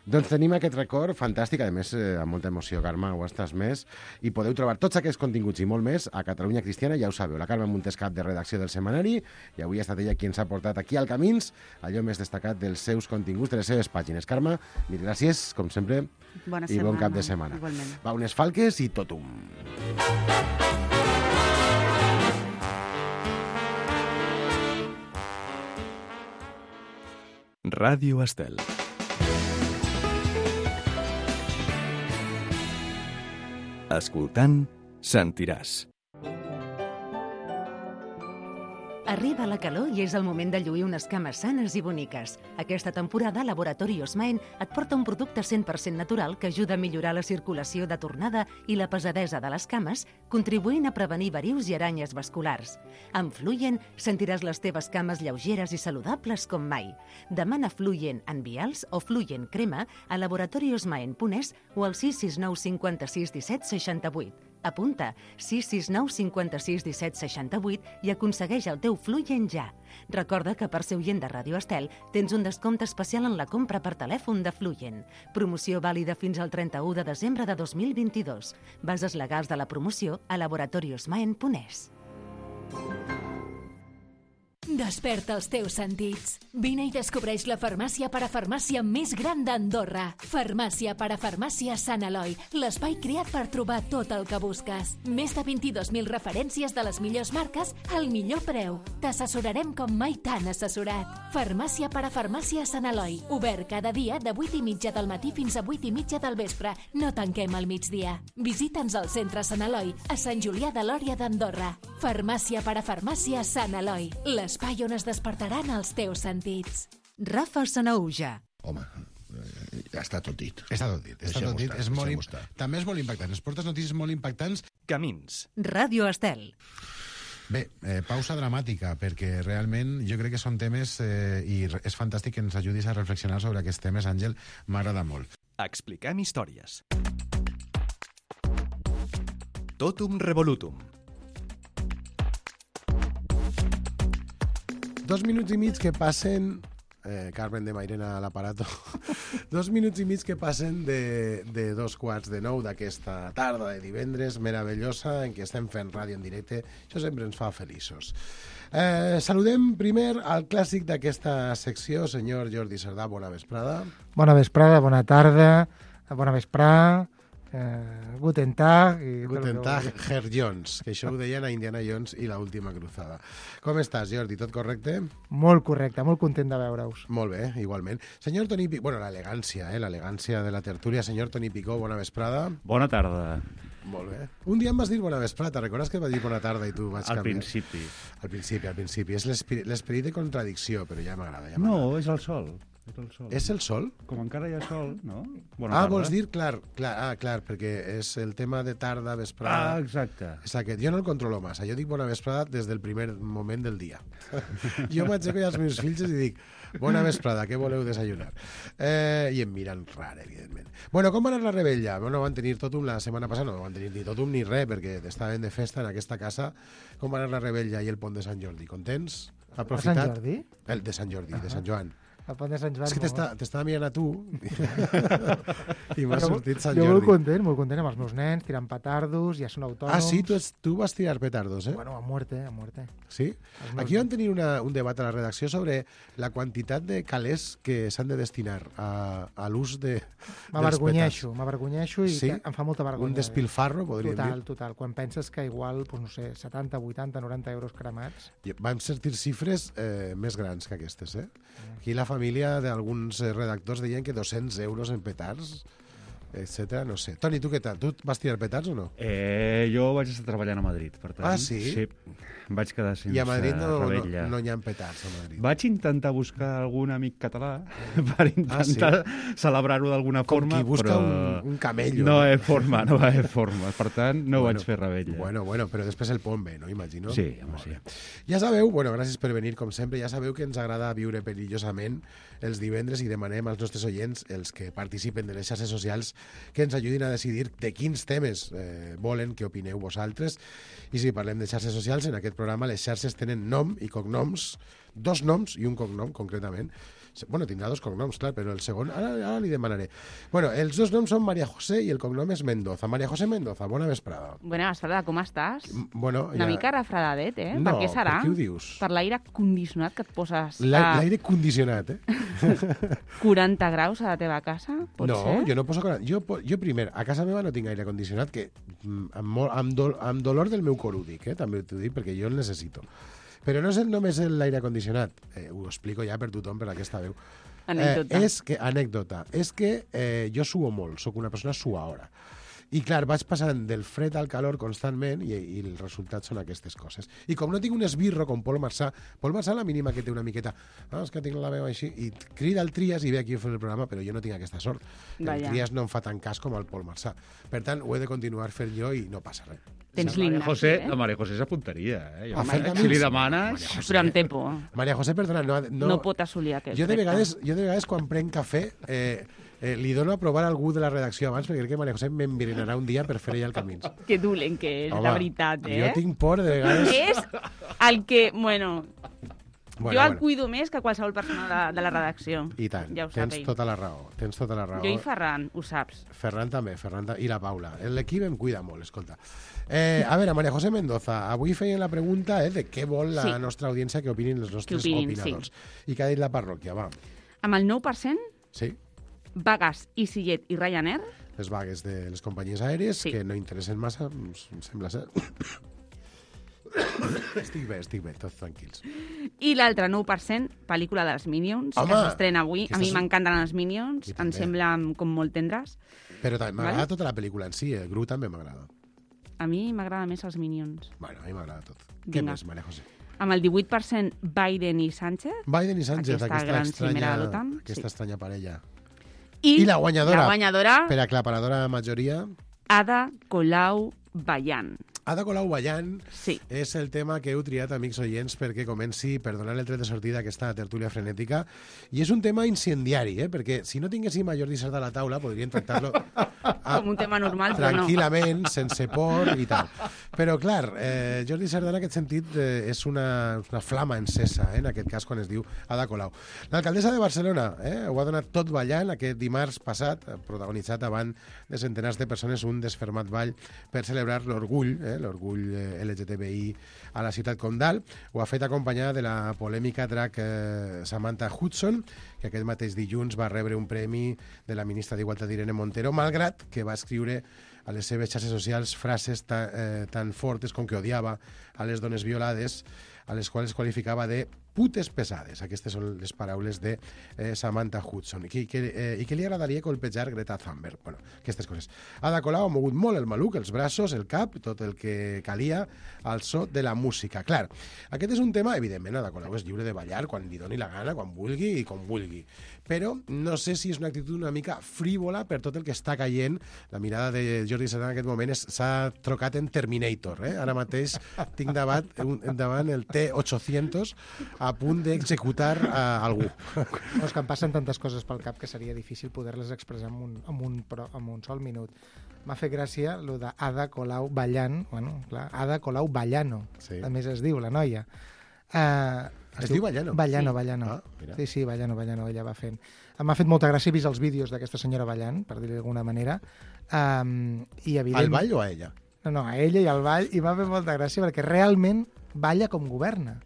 Speaker 2: Doncs tenim aquest record fantàstic, a més, amb molta emoció, Carme, ho estàs més, i podeu trobar tots aquests continguts i molt més a Catalunya Cristiana, ja ho sabeu, la Carme Montes, cap de redacció del setmanari, i avui ha estat ella qui ens ha portat aquí al Camins allò més destacat dels seus continguts, de les seves pàgines. Carme, mil gràcies, com sempre, i bon cap de setmana.
Speaker 9: Igualment.
Speaker 2: Va, unes falques i totum.
Speaker 1: Ràdio Estel. Escoltant, sentiràs.
Speaker 3: Arriba la calor i és el moment de lluir unes cames sanes i boniques. Aquesta temporada, Laboratori Osmaen et porta un producte 100% natural que ajuda a millorar la circulació de tornada i la pesadesa de les cames, contribuint a prevenir varius i aranyes vasculars. Amb Fluyen sentiràs les teves cames lleugeres i saludables com mai. Demana Fluyen en vials o Fluyen crema a laboratoriosmaen.es o al 669 56 17 68. Apunta 669 56 17 68 i aconsegueix el teu Fluyen ja. Recorda que per ser oient de Ràdio Estel tens un descompte especial en la compra per telèfon de Fluyen. Promoció vàlida fins al 31 de desembre de 2022. Bases legals de la promoció a laboratoriosmaen.es.
Speaker 13: Desperta els teus sentits. Vine i descobreix la farmàcia parafarmàcia més gran d'Andorra. Farmàcia parafarmàcia Sant Eloi, l'espai creat per trobar tot el que busques. Més de 22.000 referències de les millors marques al millor preu. T'assessorarem com mai t'han assessorat. Farmàcia parafarmàcia Sant Eloi, obert cada dia de 8:30 del matí fins a 8:30 del vespre. No tanquem al migdia. Visita'ns al centre Sant Eloi, a Sant Julià de Lòria d'Andorra. Farmàcia parafarmàcia Sant Eloi, l'espai on es despertaran els teus sentits.
Speaker 3: Rafa Sanauja.
Speaker 8: Home, ja està tot dit.
Speaker 2: Està tot dit. També és molt impactant. Es portes notícies molt impactants.
Speaker 1: Camins.
Speaker 3: Ràdio Estel.
Speaker 7: Bé, pausa dramàtica, perquè realment jo crec que són temes i és fantàstic que ens ajudis a reflexionar sobre aquests temes, Àngel, m'agrada molt.
Speaker 1: Expliquem històries. Totum revolutum.
Speaker 2: 2 minuts i mig que passen... Carmen de Mairena a l'aparato. 2 minuts i mig que passen de 2:15 d'aquesta tarda de divendres meravellosa en què estem fent ràdio en directe. Això sempre ens fa feliços. Saludem primer al clàssic d'aquesta secció, senyor Jordi Cerdà. Bona vesprada.
Speaker 14: Bona vesprada, bona tarda, bona vesprada. Guten Tag.
Speaker 2: Guten Tag, Herr Jones, que això ho deien a Indiana Jones i l'última cruzada. Com estàs, Jordi? Tot correcte?
Speaker 14: Molt correcte, molt content de veure-us.
Speaker 2: Molt bé, igualment. Senyor Toni Picó, bueno, l'elegància de la tertúlia. Senyor Toni Picó, bona vesprada.
Speaker 15: Bona tarda.
Speaker 2: Molt bé. Un dia em vas dir bona vesprada, te'n recordes que et vaig dir bona tarda i tu vaig canviar?
Speaker 15: Al principi.
Speaker 2: És l'esperit de contradicció, però ja m'agrada.
Speaker 15: No, és el sol.
Speaker 2: És el sol?
Speaker 15: Com encara hi ha sol, no?
Speaker 2: Vols dir, clar, perquè és el tema de tarda, vesprada...
Speaker 15: Exacte.
Speaker 2: És aquest. Jo no el controlo massa. Jo dic bona vesprada des del primer moment del dia. Jo m'aixeco als meus fills i dic bona vesprada, què voleu desayunar? I em miren rar, evidentment. Bueno, com va anar la rebella? Bueno, van tenir totum la setmana passada, no van tenir ni totum ni res, perquè estaven de festa en aquesta casa. Com va anar la rebella i el pont de Sant Jordi? Contents? Aprofitat?
Speaker 14: De Sant Jordi?
Speaker 2: El de Sant Jordi, de Sant Joan.
Speaker 14: El pont de Sant Joan.
Speaker 2: És que t'estava mirant a tu i m'ha sortit Sant Jordi.
Speaker 14: Jo molt content amb els meus nens, tirant petardos, ja són autònoms.
Speaker 2: Ah, sí? Tu vas tirar petardos, eh?
Speaker 14: Bueno, a muerte.
Speaker 2: Sí? Aquí vam tenir un debat a la redacció sobre la quantitat de calés que s'han de destinar a l'ús dels petards.
Speaker 14: M'avergonyeixo i
Speaker 2: sí?
Speaker 14: em fa molta vergonya.
Speaker 2: Un despilfarro, podríem dir.
Speaker 14: Total. Quan penses que igual, no sé, 70, 80, 90 euros cremats...
Speaker 2: Vam sentir xifres més grans que aquestes, eh? Aquí la família d'alguns redactors deien que 200 euros en petards, etcètera, no sé. Toni, tu què tal? Tu vas tirar petards o no?
Speaker 15: Jo vaig estar treballant a Madrid, per tant...
Speaker 2: Ah, sí?
Speaker 15: Sí, vaig quedar sense
Speaker 2: I a Madrid
Speaker 15: rebella.
Speaker 2: no hi ha petards, a Madrid.
Speaker 15: Vaig intentar buscar algun amic català per intentar celebrar-ho d'alguna forma,
Speaker 2: com qui busca
Speaker 15: però...
Speaker 2: un camello.
Speaker 15: No hi ha forma, per tant, no vaig fer rebella.
Speaker 2: Bueno, però després el pont bé, no? Imagino.
Speaker 15: Sí, home, sí.
Speaker 2: Ja sabeu, gràcies per venir, com sempre, ja sabeu que ens agrada viure perillosament els divendres i demanem als nostres oients, els que participen de les xarxes socials, que ens ajudin a decidir de quins temes volen que opineu vosaltres. I si parlem de xarxes socials, en aquest programa les xarxes tenen nom i cognoms, 2 noms i un cognom, concretament. Bueno, tindrà 2 cognoms, clar, però el segon ara li demanaré. Bueno, els 2 noms són María José i el cognom és Mendoza. María José Mendoza, bona vesprada.
Speaker 16: Bona vesprada, com estàs?
Speaker 2: Bueno,
Speaker 16: una mica refredadet, eh?
Speaker 2: No,
Speaker 16: per què serà?
Speaker 2: per què ho dius?
Speaker 16: Per l'aire condicionat que et poses...
Speaker 2: L'aire condicionat, eh?
Speaker 16: 40 graus a la teva casa, pot ser?
Speaker 2: Jo no poso... Jo primer, a casa meva no tinc aire condicionat, que amb dolor del meu cor ho dic, també t'ho dic, perquè jo el necessito. Però no és només l'aire condicionat, ho explico ja per tothom, per aquesta veu.
Speaker 16: Anècdota.
Speaker 2: Anècdota. És que jo suo molt, sóc una persona suaora. I clar, vaig passant del fred al calor constantment i el resultat són aquestes coses. I com no tinc un esbirro com Pol Marçà la mínima que té una miqueta, és que tinc la veu així, i crida el Trias i ve aquí a fer el programa, però jo no tinc aquesta sort. El Trias no em fa tant cas com el Pol Marçà. Per tant, ho he de continuar fent jo i no passa res.
Speaker 16: Tens l'Ignasi,
Speaker 15: La Maria José s'apuntaria,
Speaker 2: Home,
Speaker 15: si li demanes...
Speaker 16: Però em té por.
Speaker 2: Maria José, perdona,
Speaker 16: No pot assolir aquest
Speaker 2: jo de
Speaker 16: repte.
Speaker 2: vegades quan prenc cafè li dono a provar a algú de la redacció abans perquè crec que Maria José m'enverinarà un dia per fer ella el Camins.
Speaker 16: Que dolent que és,
Speaker 2: Home,
Speaker 16: de veritat,
Speaker 2: jo tinc por de vegades...
Speaker 16: És el que, bueno, jo el cuido més que qualsevol persona de la redacció.
Speaker 2: I tant,
Speaker 16: Ja ho
Speaker 2: tens
Speaker 16: sap ell.
Speaker 2: tota la raó.
Speaker 16: Jo i Ferran, ho saps.
Speaker 2: Ferran també, i la Paula. L'equip em cuida molt, escolta. A veure, Maria José Mendoza, avui feien la pregunta de què vol la nostra audiència que opinin els nostres opinadors. I què ha dit la parròquia, va?
Speaker 16: Amb el 9%,
Speaker 2: Sí,
Speaker 16: Vagas, EasyJet i Ryanair,
Speaker 2: les vagues de les companyies aèries, que no interessen massa, em sembla ser. Estic bé, tots tranquils.
Speaker 16: i l'altre 9%, pel·lícula dels Minions,
Speaker 2: Home,
Speaker 16: que s'estrena avui. A mi
Speaker 2: aquestes-
Speaker 16: m'encanten els Minions,
Speaker 2: I
Speaker 16: em
Speaker 2: també.
Speaker 16: semblen com molt tendres.
Speaker 2: Però també m'agrada
Speaker 16: Vale.
Speaker 2: tota la pel·lícula en si, Gru també m'agrada.
Speaker 16: A mi m'agrada més els Minions.
Speaker 2: Bueno, a mi m'agrada tot. Què
Speaker 16: Vinga.
Speaker 2: més, Maria José?
Speaker 16: Amb el 18%, Biden i Sánchez.
Speaker 2: Biden i Sánchez,
Speaker 16: Aquesta gran cimera de l'OTAN,
Speaker 2: aquesta estranya parella.
Speaker 16: I
Speaker 2: la guanyadora,
Speaker 16: la guanyadora,
Speaker 2: per aclaparadora majoria,
Speaker 16: Ada Colau Bayan.
Speaker 2: Ada Colau Bayan
Speaker 16: Sí.
Speaker 2: és el tema que heu triat, amics oients, perquè comenci per donar el tret de sortida a aquesta tertúlia frenètica. I és un tema incendiari, perquè si no tinguéssim a Jordi Sardà a la taula podríem tractar-lo
Speaker 16: Com un tema normal, però no.
Speaker 2: tranquil·lament, sense por i tal. Però, clar, Jordi Sardà en aquest sentit és una flama encesa, en aquest cas, quan es diu Ada Colau. L'alcaldessa de Barcelona ho ha donat tot ballant aquest dimarts passat, protagonitzat davant de centenars de persones un desfermat ball per celebrar l'orgull LGTBI a la ciutat condal. Ho ha fet acompanyada de la polèmica drac Samantha Hudson, que aquest mateix dilluns va rebre un premi de la ministra d'Igualtat Irene Montero, malgrat que va escriure a les seves xarxes socials frases tan fortes com que odiava a les dones violades, a les quals qualificava de putes pesades. Aquestes són les paraules de Samantha Hudson. I que li agradaria colpejar Greta Thunberg. Bueno, aquestes coses. Ada Colau ha mogut molt el maluc, els braços, el cap, tot el que calia al so de la música. Clar, aquest és un tema, evidentment, Ada Colau és lliure de ballar quan li doni la gana, quan vulgui i com vulgui. Però no sé si és una actitud una mica frívola per tot el que està caient. La mirada de Jordi Sardà en aquest moment s'ha trocat en Terminator. Ara mateix tinc davant el T-800 a punt d'executar algú.
Speaker 14: No, és que em passen tantes coses pel cap que seria difícil poder-les expressar en un sol minut. M'ha fet gràcia lo de Ada Colau ballant, bueno, clar, Ada Colau Ballano, a més es diu, la noia.
Speaker 2: Es diu Ballano?
Speaker 14: Ballano,
Speaker 2: Sí.
Speaker 14: Ballano.
Speaker 2: Ah, mira.
Speaker 14: Sí, Ballano, ella va fent. M'ha fet molta gràcia, he vist els vídeos d'aquesta senyora ballant, per dir-ho d'alguna manera. I evident...
Speaker 2: Al ball o a ella?
Speaker 14: No, a ella i al ball, i m'ha fet molta gràcia perquè realment balla com governa.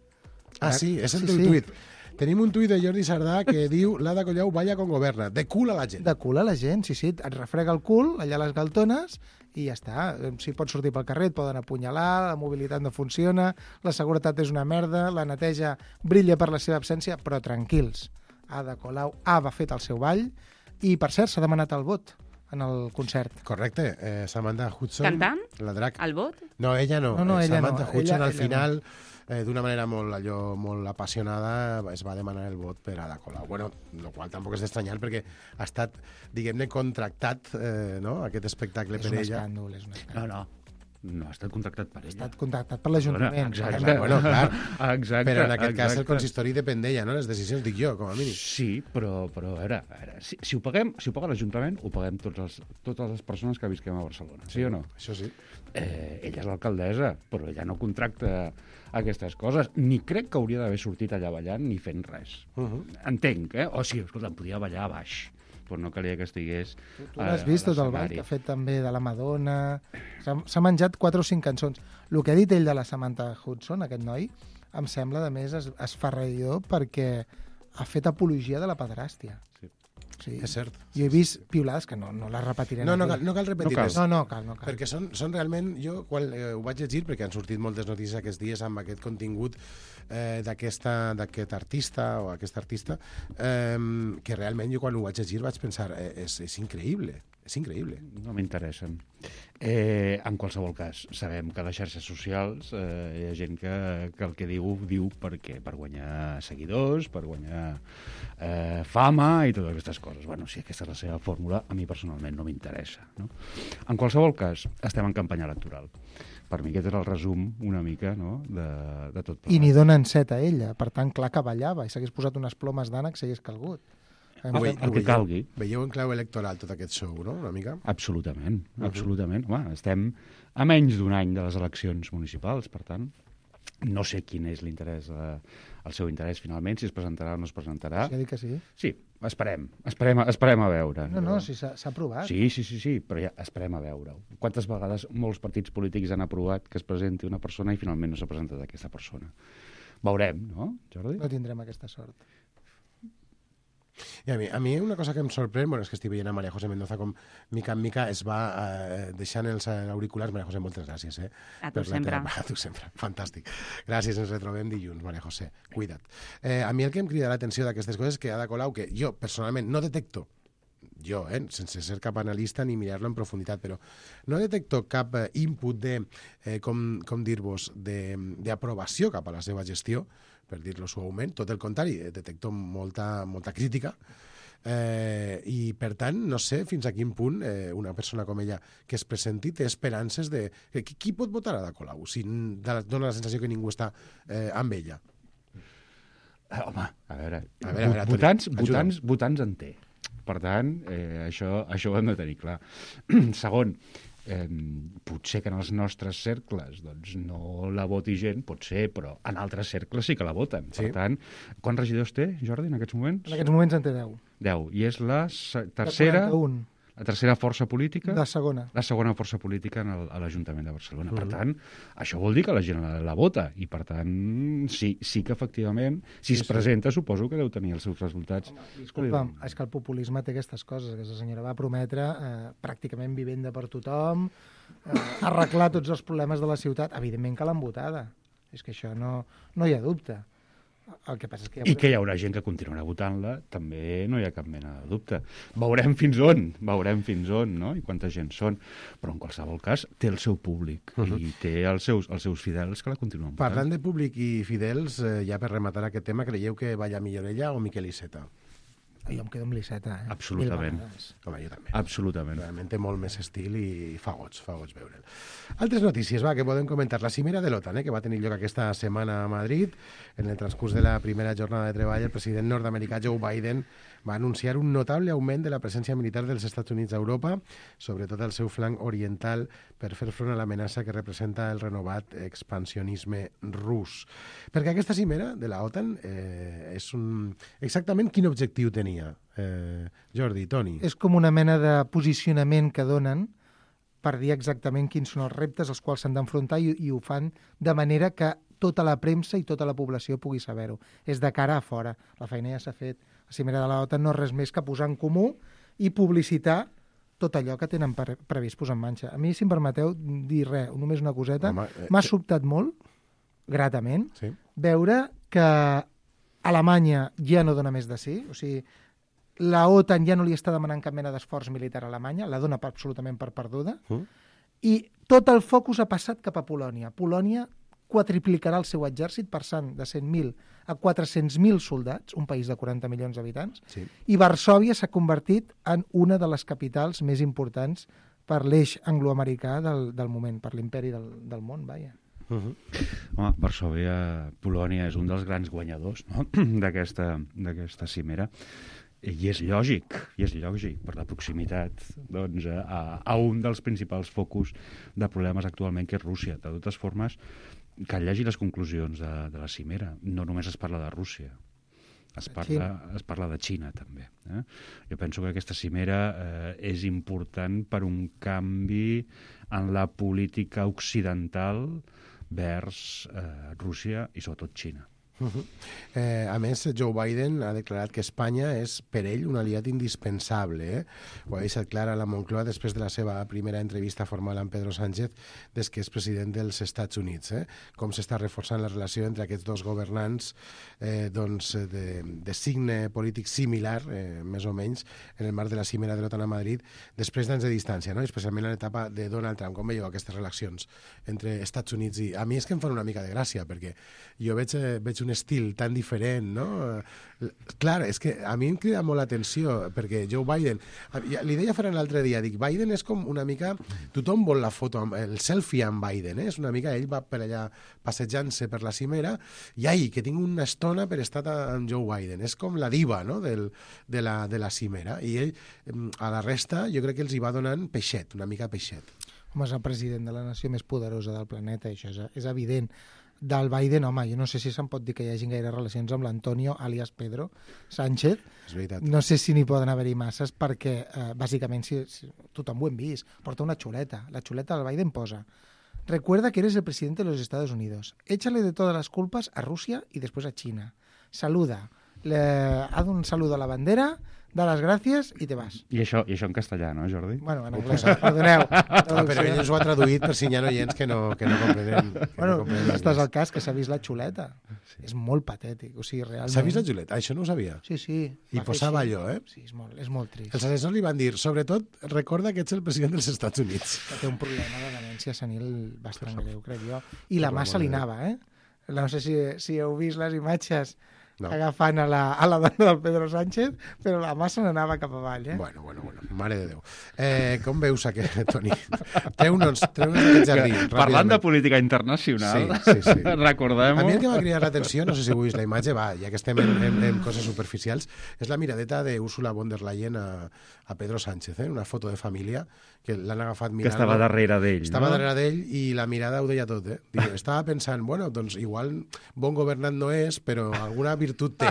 Speaker 2: Ah, sí, és el teu tuit. Tenim un tuit de Jordi Sardà que diu l'Ada Colau balla com governa, de cul a la gent.
Speaker 14: De cul a la gent, sí, et refrega el cul allà a les galtones i ja està. Si pots sortir pel carrer et poden apunyalar, la mobilitat no funciona, la seguretat és una merda, la neteja brilla per la seva absència, però tranquils. Ada Colau ha fet el seu ball i, per cert, s'ha demanat el vot en el concert.
Speaker 2: Correcte. Samantha Hudson...
Speaker 16: Cantant?
Speaker 2: La drac.
Speaker 16: El vot?
Speaker 2: No, ella no.
Speaker 14: No, ella
Speaker 2: Samantha
Speaker 14: no.
Speaker 2: Hudson
Speaker 14: Ella
Speaker 2: al final...
Speaker 14: no.
Speaker 2: D'una manera molt apassionada es va demanar el vot per Ada Colau. Bueno, el qual tampoc és d'estranyar perquè ha estat, diguem-ne, contractat aquest espectacle per ella.
Speaker 14: És un escàndol.
Speaker 15: No ha estat contractat per ella.
Speaker 14: Ha estat contractat per l'Ajuntament.
Speaker 15: Exacte.
Speaker 2: Bueno, clar.
Speaker 15: Exacte.
Speaker 2: Però en aquest cas el
Speaker 15: exacte.
Speaker 2: consistori depèn d'ella, no? Les decisions dic jo, com a mínim.
Speaker 15: Sí, però a veure, si ho paga l'Ajuntament, ho paguem totes les persones que visquem a Barcelona, sí o no?
Speaker 2: Això sí.
Speaker 15: Ella és l'alcaldessa, però ella no contracta aquestes coses. Ni crec que hauria d'haver sortit allà ballant ni fent res. Entenc, O sigui, escolta, em podia ballar a baix, però no calia que estigués...
Speaker 14: Tu l'has vist tot el ball que ha fet també de la Madonna... S'ha menjat 4 o 5 cançons. El que ha dit ell de la Samantha Hudson, aquest noi, em sembla, de més, esferraïdor perquè ha fet apologia de la pederàstia. Sí.
Speaker 2: És cert.
Speaker 14: Jo he vist piulades que no les repetiré.
Speaker 2: No cal repetir-les.
Speaker 14: No cal.
Speaker 2: Perquè són realment... Jo quan ho vaig llegir, perquè han sortit moltes notícies aquests dies amb aquest contingut d'aquest artista o aquesta artista, que realment jo quan ho vaig llegir vaig pensar és increïble. És increïble.
Speaker 15: No m'interessen. En qualsevol cas, sabem que a les xarxes socials hi ha gent que el que diu perquè per guanyar seguidors, per guanyar fama i totes aquestes coses. Bueno, si aquesta és la seva fórmula, a mi personalment no m'interessa. No? En qualsevol cas, estem en campanya electoral. Per mi aquest és el resum una mica, no?, de tot plegat.
Speaker 14: I n'hi donen 7 a ella. Per tant, clar que ballava i s'hagués posat unes plomes d'ànec si hagués calgut.
Speaker 15: El que calgui.
Speaker 2: Veieu en clau electoral tot aquest show, no?, una mica?
Speaker 15: Absolutament, absolutament. Home, estem a menys d'un any de les eleccions municipals, per tant, no sé quin és l'interès, el seu interès finalment, si es presentarà o no es presentarà.
Speaker 14: Sí, que sí.
Speaker 15: Sí, esperem a veure.
Speaker 14: No, sí, s'ha aprovat.
Speaker 15: Sí, però ja esperem a veure-ho. Quantes vegades molts partits polítics han aprovat que es presenti una persona i finalment no s'ha presentat aquesta persona? Veurem, no, Jordi?
Speaker 14: No tindrem aquesta sort.
Speaker 2: I a mi una cosa que em sorprèn, bueno, és que estic veient a María José Mendoza com mica en mica es va deixant els auriculars. María José, moltes gràcies.
Speaker 16: A tu sempre.
Speaker 2: A tu sempre, fantàstic. Gràcies, ens retrobem dilluns, María José. Cuida't. A mi el que em crida l'atenció d'aquestes coses és que Ada Colau, que jo personalment no detecto, sense ser cap analista ni mirar-lo en profunditat, però no detecto cap input de, com dir-vos, d'aprovació cap a la seva gestió, per dir-lo suaument, tot el contrari, detecto molta crítica, i per tant no sé fins a quin punt una persona com ella que es presenti té esperances de... Qui pot votar a Ada Colau si dona la sensació que ningú està amb ella?
Speaker 15: Home, a veure, votants en té. Per tant, això ho hem de tenir clar. Segon, potser que en els nostres cercles doncs, no la voti gent, pot ser, però en altres cercles sí que la voten. Per tant, quants regidors té, Jordi, en aquests moments?
Speaker 14: En aquests moments en té 10.
Speaker 15: 10. I és la tercera... La tercera força política?
Speaker 14: La segona.
Speaker 15: La segona força política a l'Ajuntament de Barcelona. Per tant, això vol dir que la gent la vota. I, per tant, sí que efectivament, si es presenta, suposo que deu tenir els seus resultats.
Speaker 14: Disculpa, és que el populisme té aquestes coses. Aquesta senyora va prometre pràcticament vivenda per tothom, arreglar tots els problemes de la ciutat. Evidentment que l'han votada. És que això no hi ha dubte. El que passa és que
Speaker 15: I que hi haurà gent que continuarà votant-la, també no hi ha cap mena de dubte. Veurem fins on, no?, i quanta gent són. Però en qualsevol cas té el seu públic i té els seus fidels que la continuen votant.
Speaker 2: Parlant de públic i fidels, ja per rematar aquest tema, creieu que balla millor ella o Miquel Iceta?
Speaker 14: Jo em quedo amb l'Iceta,
Speaker 15: Absolutament.
Speaker 2: Home, jo també.
Speaker 15: Absolutament.
Speaker 2: Realment té molt més estil i fa goig veure'l. Altres notícies, que podem comentar. La cimera de l'OTAN, que va tenir lloc aquesta setmana a Madrid. En el transcurs de la primera jornada de treball, el president nord-americà Joe Biden va anunciar un notable augment de la presència militar dels Estats Units a Europa, sobretot al seu flanc oriental, per fer front a l'amenaça que representa el renovat expansionisme rus. Perquè aquesta cimera de la OTAN és exactament quin objectiu tenia? Jordi, Toni.
Speaker 14: És com una mena de posicionament que donen per dir exactament quins són els reptes als quals s'han d'enfrontar i ho fan de manera que tota la premsa i tota la població pugui saber-ho. És de cara a fora. La feina ja s'ha fet. La cimera de l'OTAN no és res més que posar en comú i publicitar tot allò que tenen previst posar en marxa. A mi, si em permeteu dir només una coseta, m'ha sobtat molt, gratament, veure que Alemanya ja no dona més de sí, o sigui, la OTAN ja no li està demanant cap mena d'esforç militar a Alemanya, la dona absolutament per perduda, i tot el focus ha passat cap a Polònia. Polònia quadriplicarà el seu exèrcit, passant de 100.000 a 400.000 soldats, un país de 40 milions d'habitants, i Varsòvia s'ha convertit en una de les capitals més importants per l'eix angloamericà del moment, per l'imperi del món, vaja.
Speaker 15: Home, Varsòvia, Polònia és un dels grans guanyadors, no?, d'aquesta cimera. I és lògic, per la proximitat doncs, a un dels principals focus de problemes actualment, que és Rússia. De totes formes, que llegi les conclusions de la cimera. No només es parla de Rússia, es parla de Xina, també. Jo penso que aquesta cimera és important per un canvi en la política occidental vers Rússia i sobretot Xina.
Speaker 2: A més, Joe Biden ha declarat que Espanya és per ell un aliat indispensable. Ho ha deixat clar a la Moncloa després de la seva primera entrevista formal amb Pedro Sánchez des que és president dels Estats Units. Com s'està reforçant la relació entre aquests dos governants de signe polític similar, més o menys, en el marc de la cimera de l'OTAN a Madrid, després d'anys de distància, no? Especialment en l'etapa de Donald Trump. Com veieu aquestes relacions entre Estats Units i... A mi és que em fan una mica de gràcia, perquè jo veig un estil tan diferent, no? Clar, és que a mi em crida molt l'atenció, perquè Joe Biden... Li deia Ferran l'altre dia, dic, Biden és com una mica... Tothom vol la foto, el selfie amb Biden, És una mica, ell va per allà passejant-se per la cimera, i ai, que tinc una estona per estar amb Joe Biden. És com la diva, no?, de la cimera. I ell, a la resta, jo crec que els hi va donant peixet, una mica peixet.
Speaker 14: Home, és el president de la nació més poderosa del planeta, això és evident. Del Biden, home, jo no sé si se'n pot dir que hi hagi gaire relacions amb l'Antonio, alias Pedro Sánchez.
Speaker 2: És veritat.
Speaker 14: No sé si n'hi poden haver-hi masses perquè, bàsicament, si tothom ho hem vist, porta una xuleta. La xuleta del Biden posa: recuerda que eres el presidente de los Estados Unidos. Échale de todas las culpas a Rusia y después a China. Saluda. Haz un saludo a la bandera, da les gràcies i te vas.
Speaker 15: I això en castellà, no, Jordi?
Speaker 14: Bueno, en anglès, perdoneu.
Speaker 2: Però ell ens ho ha traduït per si hi ha oients que no comprenen.
Speaker 14: Bueno, estàs al cas que s'ha vist la xuleta. Sí. És molt patètic, o sigui, realment...
Speaker 2: S'ha vist la xuleta? Això no ho sabia.
Speaker 14: Sí.
Speaker 2: I posava allò,
Speaker 14: Sí, és molt trist.
Speaker 2: Els assessors li van dir, sobretot, recorda que ets el president dels Estats Units.
Speaker 14: Que té un problema de demència senil bastant greu, crec jo. I la mà se li anava, No sé si heu vist les imatges agafant a la dona del Pedro Sánchez, però la mà se n'anava cap avall,
Speaker 2: Bueno, mare de Déu. Com veus aquest, Toni? Treu-nos aquest jardí.
Speaker 15: Parlant de política internacional,
Speaker 2: sí.
Speaker 15: Recordem-ho.
Speaker 2: A mi el que m'ha cridat l'atenció, no sé si heu vist la imatge, ja que estem en coses superficials, és la miradeta d'Ursula von der Leyen a Pedro Sánchez, una foto de família, que l'han agafat mirant...
Speaker 15: Que estava darrere d'ell,
Speaker 2: Estava darrere d'ell i la mirada ho deia tot, Estava pensant, bueno, doncs igual bon governant no és, però alguna virtut té.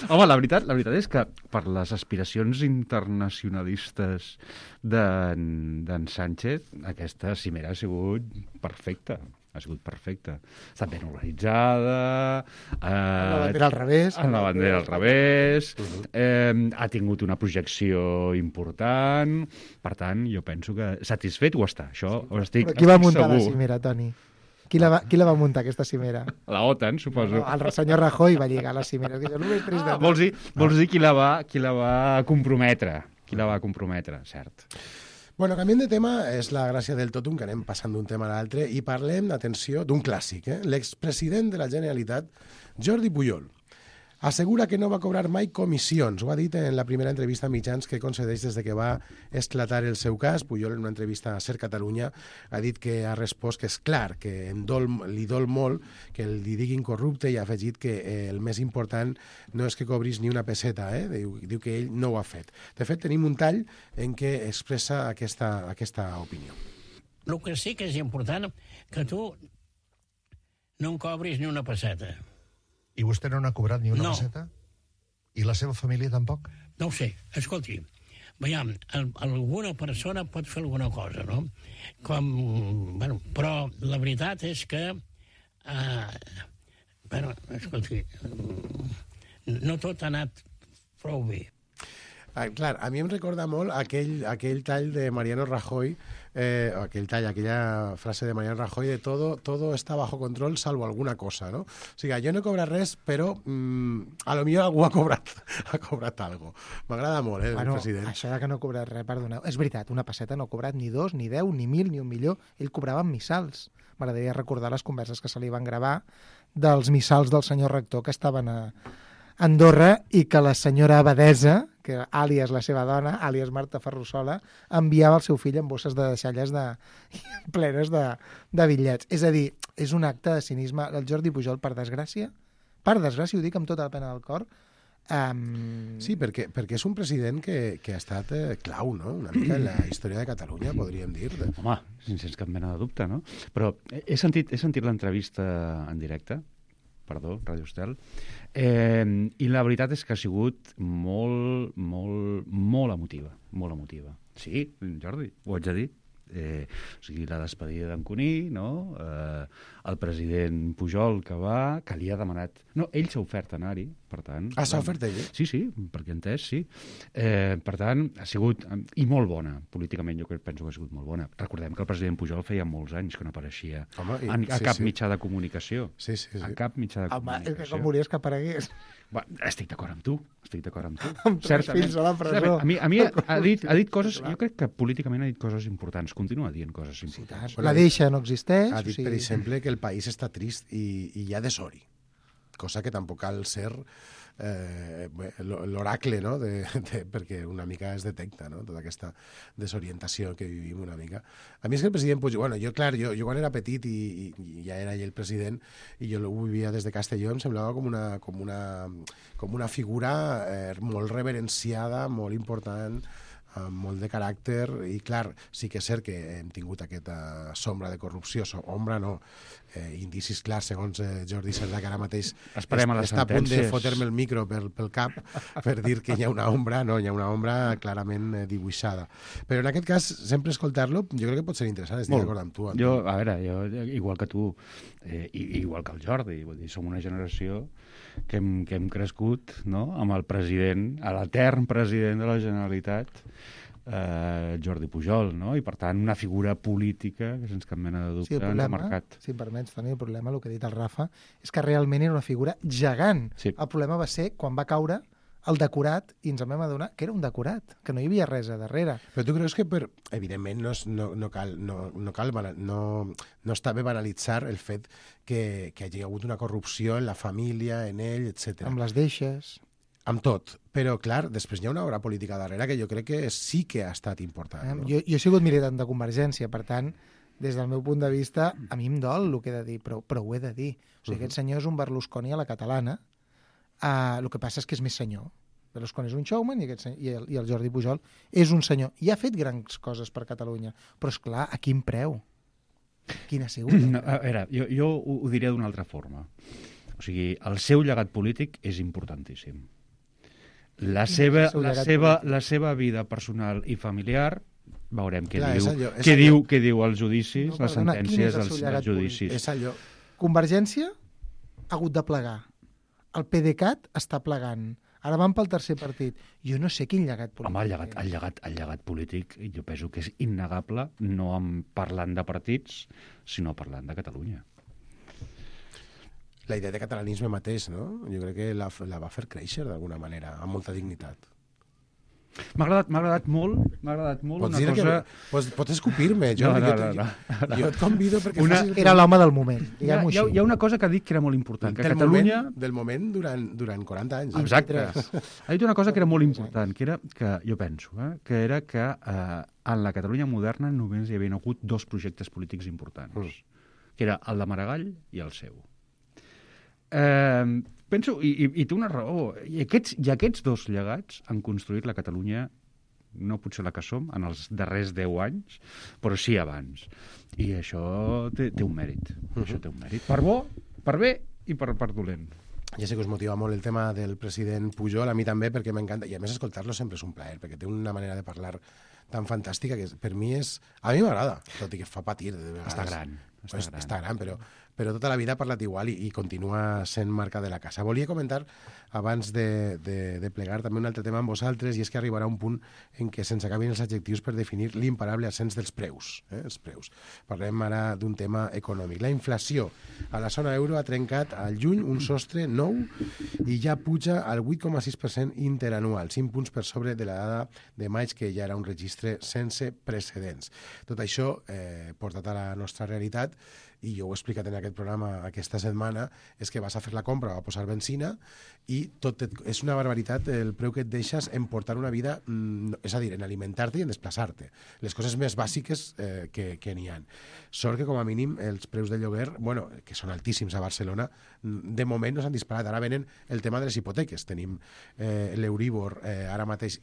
Speaker 15: Home, la veritat és que per les aspiracions internacionalistes d'en Sánchez, aquesta cimera ha sigut perfecta. Ha sigut perfecta. Està ben organitzada...
Speaker 14: Amb la bandera al revés.
Speaker 15: Amb la bandera al revés. Ha tingut una projecció important. Per tant, jo penso que satisfet ho està. Això ho estic segur.
Speaker 14: Qui va muntar la cimera, Toni? Qui la va muntar, aquesta cimera?
Speaker 15: La OTAN, suposo.
Speaker 14: El senyor Rajoy va lligar la cimera.
Speaker 15: Vols dir qui la va comprometre. Qui la va comprometre, cert.
Speaker 2: Bueno, canviem de tema, és la gràcia del totum, que anem passant d'un tema a l'altre, i parlem, atenció, d'un clàssic. L'expresident de la Generalitat, Jordi Pujol, assegura que no va cobrar mai comissions. Ho ha dit en la primera entrevista a mitjans que concedeix des de que va esclatar el seu cas. Pujol, en una entrevista a Ser Catalunya, ha dit que ha respost que és clar, que li dol molt que li diguin corrupte, i ha afegit que el més important no és que cobris ni una peseta, diu que ell no ho ha fet. De fet, tenim un tall en què expressa aquesta opinió.
Speaker 17: El que sí que és important que tu no en cobris ni una peseta.
Speaker 8: I vostè no n'ha cobrat ni una peseta? I la seva família tampoc?
Speaker 17: No ho sé. Escolti, veiem, alguna persona pot fer alguna cosa, no? Però la veritat és que... escolti, no tot ha anat prou bé.
Speaker 2: Clar, a mi em recorda molt aquell tall de Mariano Rajoy, aquella frase de Mariano Rajoy de todo está bajo control salvo alguna cosa, no? O sigui, jo no he cobrat res, però a lo millor algú ha cobrat algo. M'agrada molt, el president.
Speaker 14: Això que no ha cobrat res, perdoneu. És veritat, una peseta no ha cobrat ni 2, ni 10, ni 1.000, ni un milió. Ell cobrava en missals. M'agradaria recordar les converses que se li van gravar dels missals del senyor rector que estaven a Andorra i que la senyora abadesa, que àlies la seva dona, àlies Marta Ferrusola, enviava el seu fill amb bosses de deixalles plenes de bitllets. És a dir, és un acte de cinisme. El Jordi Pujol, per desgràcia, ho dic amb tota la pena del cor...
Speaker 2: Sí, perquè és un president que ha estat clau, no?, una mica en la història de Catalunya, podríem dir.
Speaker 15: Home, sense cap mena de dubte, no? Però he sentit l'entrevista en directe, Ràdio Estel, i la veritat és que ha sigut molt emotiva, molt emotiva. Sí, Jordi, ho haig de dir. O sigui, la despedida d'en Cuní, no? El president Pujol que va, que li ha demanat... No, ell s'ha ofert a anar-hi, per tant...
Speaker 2: Ah, s'ha ofert ell?
Speaker 15: Sí, perquè entès, sí. Per tant, ha sigut... I molt bona, políticament, jo penso que ha sigut molt bona. Recordem que el president Pujol feia molts anys que no apareixia a cap mitjà de comunicació.
Speaker 2: Sí.
Speaker 15: A cap mitjà de comunicació.
Speaker 14: Home, com volies que aparegués?
Speaker 15: Estic d'acord amb tu.
Speaker 14: Amb 3 fills a la presó.
Speaker 15: A mi ha dit coses... Jo crec que políticament ha dit coses importants. Continua dient coses importants.
Speaker 14: La deixa no existeix.
Speaker 2: Ha dit, per exemple, que el país està trist i hi ha desori. Cosa que tampoc cal ser l'oracle, no? Perquè una mica es detecta, no? Tota aquesta desorientació que vivim una mica. A mi és que el president Pujol... Bueno, jo quan era petit i ja era ell el president i jo ho vivia des de Castelló, em semblava com una figura molt reverenciada, molt important, amb molt de caràcter, i clar, sí que és cert que hem tingut aquesta sombra de corrupció, ombra no, indicis clars, segons Jordi Cerdà, que ara mateix està a punt de fotre-me el micro pel cap per dir que hi ha una ombra, no, hi ha una ombra clarament dibuixada. Però en aquest cas, sempre escoltar-lo, jo crec que pot ser interessant, estic d'acord amb tu.
Speaker 15: Jo, igual que tu, igual que el Jordi, vull dir, som una generació que hem crescut, no?, amb el president, l'etern president de la Generalitat, Jordi Pujol, no? I per tant una figura política que sense cap mena de dubte ens ha marcat.
Speaker 14: Si em permets, Toni, el problema, el que ha dit el Rafa, és que realment era una figura gegant. Sí. El problema va ser quan va caure el decorat i ens vam adonar que era un decorat, que no hi havia res a darrere.
Speaker 2: Però tu creus que, evidentment, no està bé banalitzar el fet que hi hagi hagut una corrupció en la família, en ell, etc.
Speaker 14: Amb les deixes...
Speaker 2: Amb tot, però clar, després hi ha una obra política darrere que jo crec que sí que ha estat important. No?
Speaker 14: Jo he sigut militant de Convergència, per tant, des del meu punt de vista, a mi em dol el que he de dir, però ho he de dir. O sigui, aquest senyor és un Berlusconi a la catalana, el que passa és que és més senyor. Berlusconi és un showman i el Jordi Pujol és un senyor. I ha fet grans coses per Catalunya, però és clar, a quin preu? Quin ha sigut?
Speaker 15: No, a veure, jo ho diré d'una altra forma. O sigui, el seu llegat polític és importantíssim. La seva vida personal i familiar, veurem què diu als judicis, les sentències dels judicis.
Speaker 2: És allò.
Speaker 14: Convergència ha hagut de plegar. El PDeCAT està plegant. Ara van pel tercer partit. Jo no sé quin llegat polític.
Speaker 15: Home, el llegat polític jo penso que és innegable, no parlant de partits, sinó parlant de Catalunya.
Speaker 2: La idea de catalanisme mateix, no? Jo crec que la va fer créixer d'alguna manera, amb molta dignitat.
Speaker 15: M'ha agradat molt
Speaker 2: una cosa... Pots escopir-me, jo et convido perquè facis...
Speaker 14: Era l'home del moment,
Speaker 15: hi ha una cosa que ha dit que era molt important, que Catalunya...
Speaker 2: Del moment durant 40 anys.
Speaker 15: Exacte. Ha dit una cosa que era molt important, que era que, jo penso, que era que en la Catalunya moderna només hi havia hagut 2 projectes polítics importants, que era el de Maragall i el seu. Penso, i té una raó, i aquests 2 llegats han construït la Catalunya, no potser la que som, en els darrers 10 anys, però sí abans. I això té un mèrit. Això té un mèrit. Per bo, per bé i per dolent.
Speaker 2: Ja sé que us motiva molt el tema del president Pujol, a mi també, perquè m'encanta, i a més escoltar-lo sempre és un plaer, perquè té una manera de parlar tan fantàstica que per mi és... A mi m'agrada, tot i que fa patir de vegades. Està gran, però tota la vida ha parlat igual i continua sent marca de la casa. Volia comentar, abans de plegar, també un altre tema amb vosaltres, i és que arribarà un punt en què se'ns acabin els adjectius per definir l'imparable ascens dels preus. Els preus. Parlem ara d'un tema econòmic. La inflació a la zona euro ha trencat al juny un sostre nou i ja puja al 8,6% interanual, 5 punts per sobre de la dada de maig, que ja era un registre sense precedents. Tot això, portat a la nostra realitat, i jo ho he explicat en aquest programa aquesta setmana, és que vas a fer la compra, a posar benzina, i és una barbaritat el preu que et deixes en portar una vida, és a dir, en alimentar-te i en desplaçar-te. Les coses més bàsiques que n'hi ha. Sort que, com a mínim, els preus de lloguer, bueno, que són altíssims a Barcelona, de moment no s'han disparat. Ara venen el tema de les hipoteques. Tenim l'Euríbor ara mateix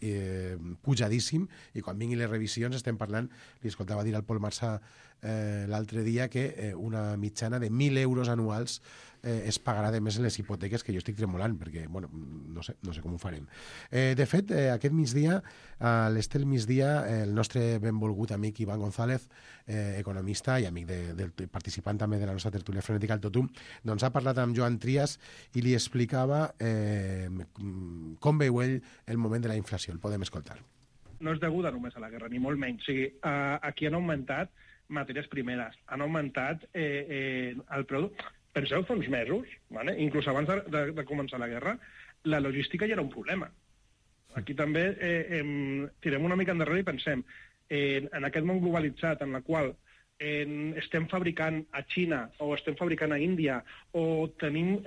Speaker 2: pujadíssim, i quan vinguin les revisions estem parlant, li escoltava dir al Pol Marsà l'altre dia, que una mitjana de 1.000 euros anuals es pagarà de més en les hipoteques, que jo estic tremolant, perquè, bueno, no sé com ho farem. De fet, aquest migdia, a l'Estel Migdia, el nostre benvolgut amic Ivan González, economista i amic participant també de la nostra tertúlia frenètica al Totum, doncs ha parlat amb Joan Trias i li explicava com veu ell el moment de la inflació. El podem escoltar.
Speaker 18: No és deguda només a la guerra, ni molt menys. O sigui, aquí han augmentat matèries primeres, han augmentat el producte. Penseu fa uns mesos, ¿vale? Inclús abans de començar la guerra, la logística ja era un problema. Aquí també tirem una mica endarrere i pensem en aquest món globalitzat en la qual estem fabricant a Xina o estem fabricant a Índia o tenim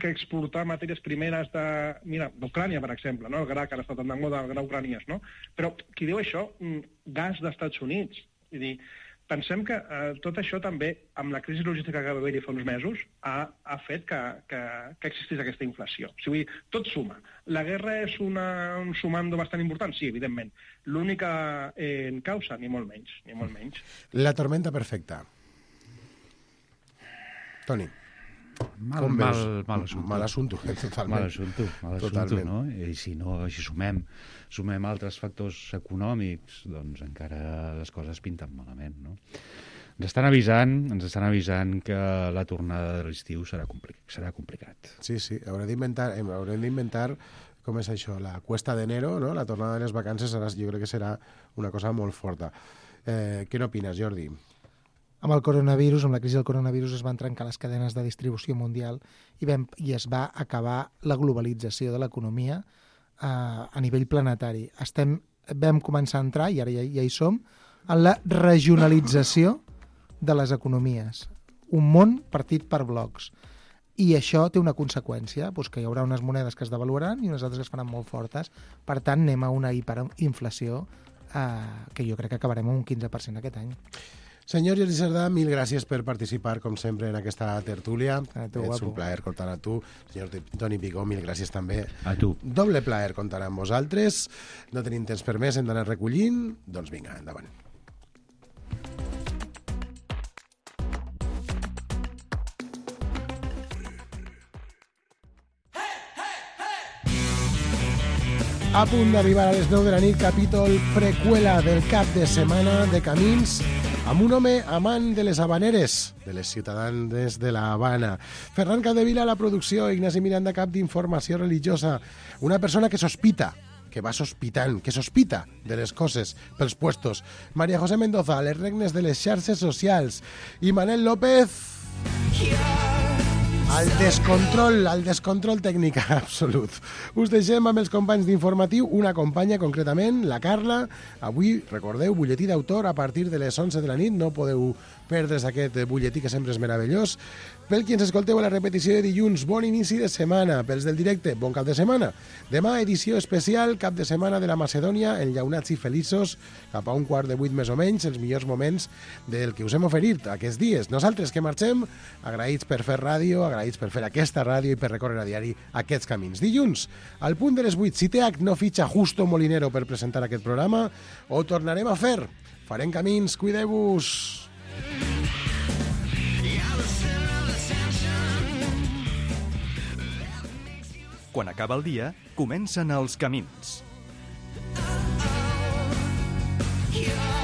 Speaker 18: que exportar matèries primeres d'Ucrània, per exemple, no? El gra, que ara està tan de moda, el gra ucraniès, no? Però qui diu això? Gas d'Estats Units. Vull dir, pensem que tot això també, amb la crisi logística que va haver-hi fa uns mesos, ha fet que existís aquesta inflació. O sigui, tot suma. La guerra és un sumando bastant important? Sí, evidentment. L'única causa, ni molt menys, ni molt menys.
Speaker 2: La tormenta perfecta. Toni.
Speaker 15: Mal assumpte.
Speaker 2: Mal assumpte, totalment.
Speaker 15: Mal assumpte, no? I si sumem altres factors econòmics, doncs encara les coses pinten malament, no? Ens estan avisant que la tornada de l'estiu serà complicat.
Speaker 2: Sí, haurem d'inventar com és això, la cuesta d'enero, no? La tornada de les vacances jo crec que serà una cosa molt forta. Què n'opines, Jordi?
Speaker 14: Amb el coronavirus, amb la crisi del coronavirus, es van trencar les cadenes de distribució mundial i es va acabar la globalització de l'economia a nivell planetari. Vam començar a entrar, i ara ja hi som, en la regionalització de les economies. Un món partit per blocs. I això té una conseqüència, que hi haurà unes monedes que es devaluaran i unes altres que es faran molt fortes. Per tant, anem a una hiperinflació que jo crec que acabarem amb un 15% aquest any.
Speaker 2: Senyor Jordi Cerdà, mil gràcies per participar, com sempre, en aquesta tertúlia. És un plaer comptar a tu. Senyor Toni Picó, mil gràcies també.
Speaker 15: A tu.
Speaker 2: Doble plaer comptar amb vosaltres. No tenim temps per més, hem d'anar recollint. Doncs vinga, endavant. A punt d'arribar a les 10 de la nit, capítol preqüela del cap de setmana de Camins, amb un home amant de les habaneres, de les ciutadanes de la Habana. Ferran Capdevila a la producció, Ignasi Miranda, cap d'informació religiosa. Una persona que sospita, que va sospitant, que sospita de les coses pels puestos. María José Mendoza, les regnes de les xarxes socials. I Manel López... al descontrol tècnic absolut. Us deixem amb els companys d'informatiu, una companya concretament, la Carla. Avui, recordeu, butlletí d'autor a partir de les 11 de la nit. No podeu perdre's aquest butlletí que sempre és meravellós. Pel qui ens escolteu a la repetició de dilluns, bon inici de setmana. Pels del directe, bon cap de setmana. Demà, edició especial, cap de setmana de la Macedònia, enllaunats i feliços, cap a 7:15 més o menys, els millors moments del que us hem oferit aquests dies. Nosaltres que marxem, agraïts per fer ràdio, agraïts per fer aquesta ràdio i per recórrer a diari aquests camins. Dilluns, al punt de les 8, si TH no fitxa Justo Molinero per presentar aquest programa, ho tornarem a fer. Farem camins, cuideu-vos.
Speaker 1: Quan acaba el dia, comencen els camins.
Speaker 4: Yeah.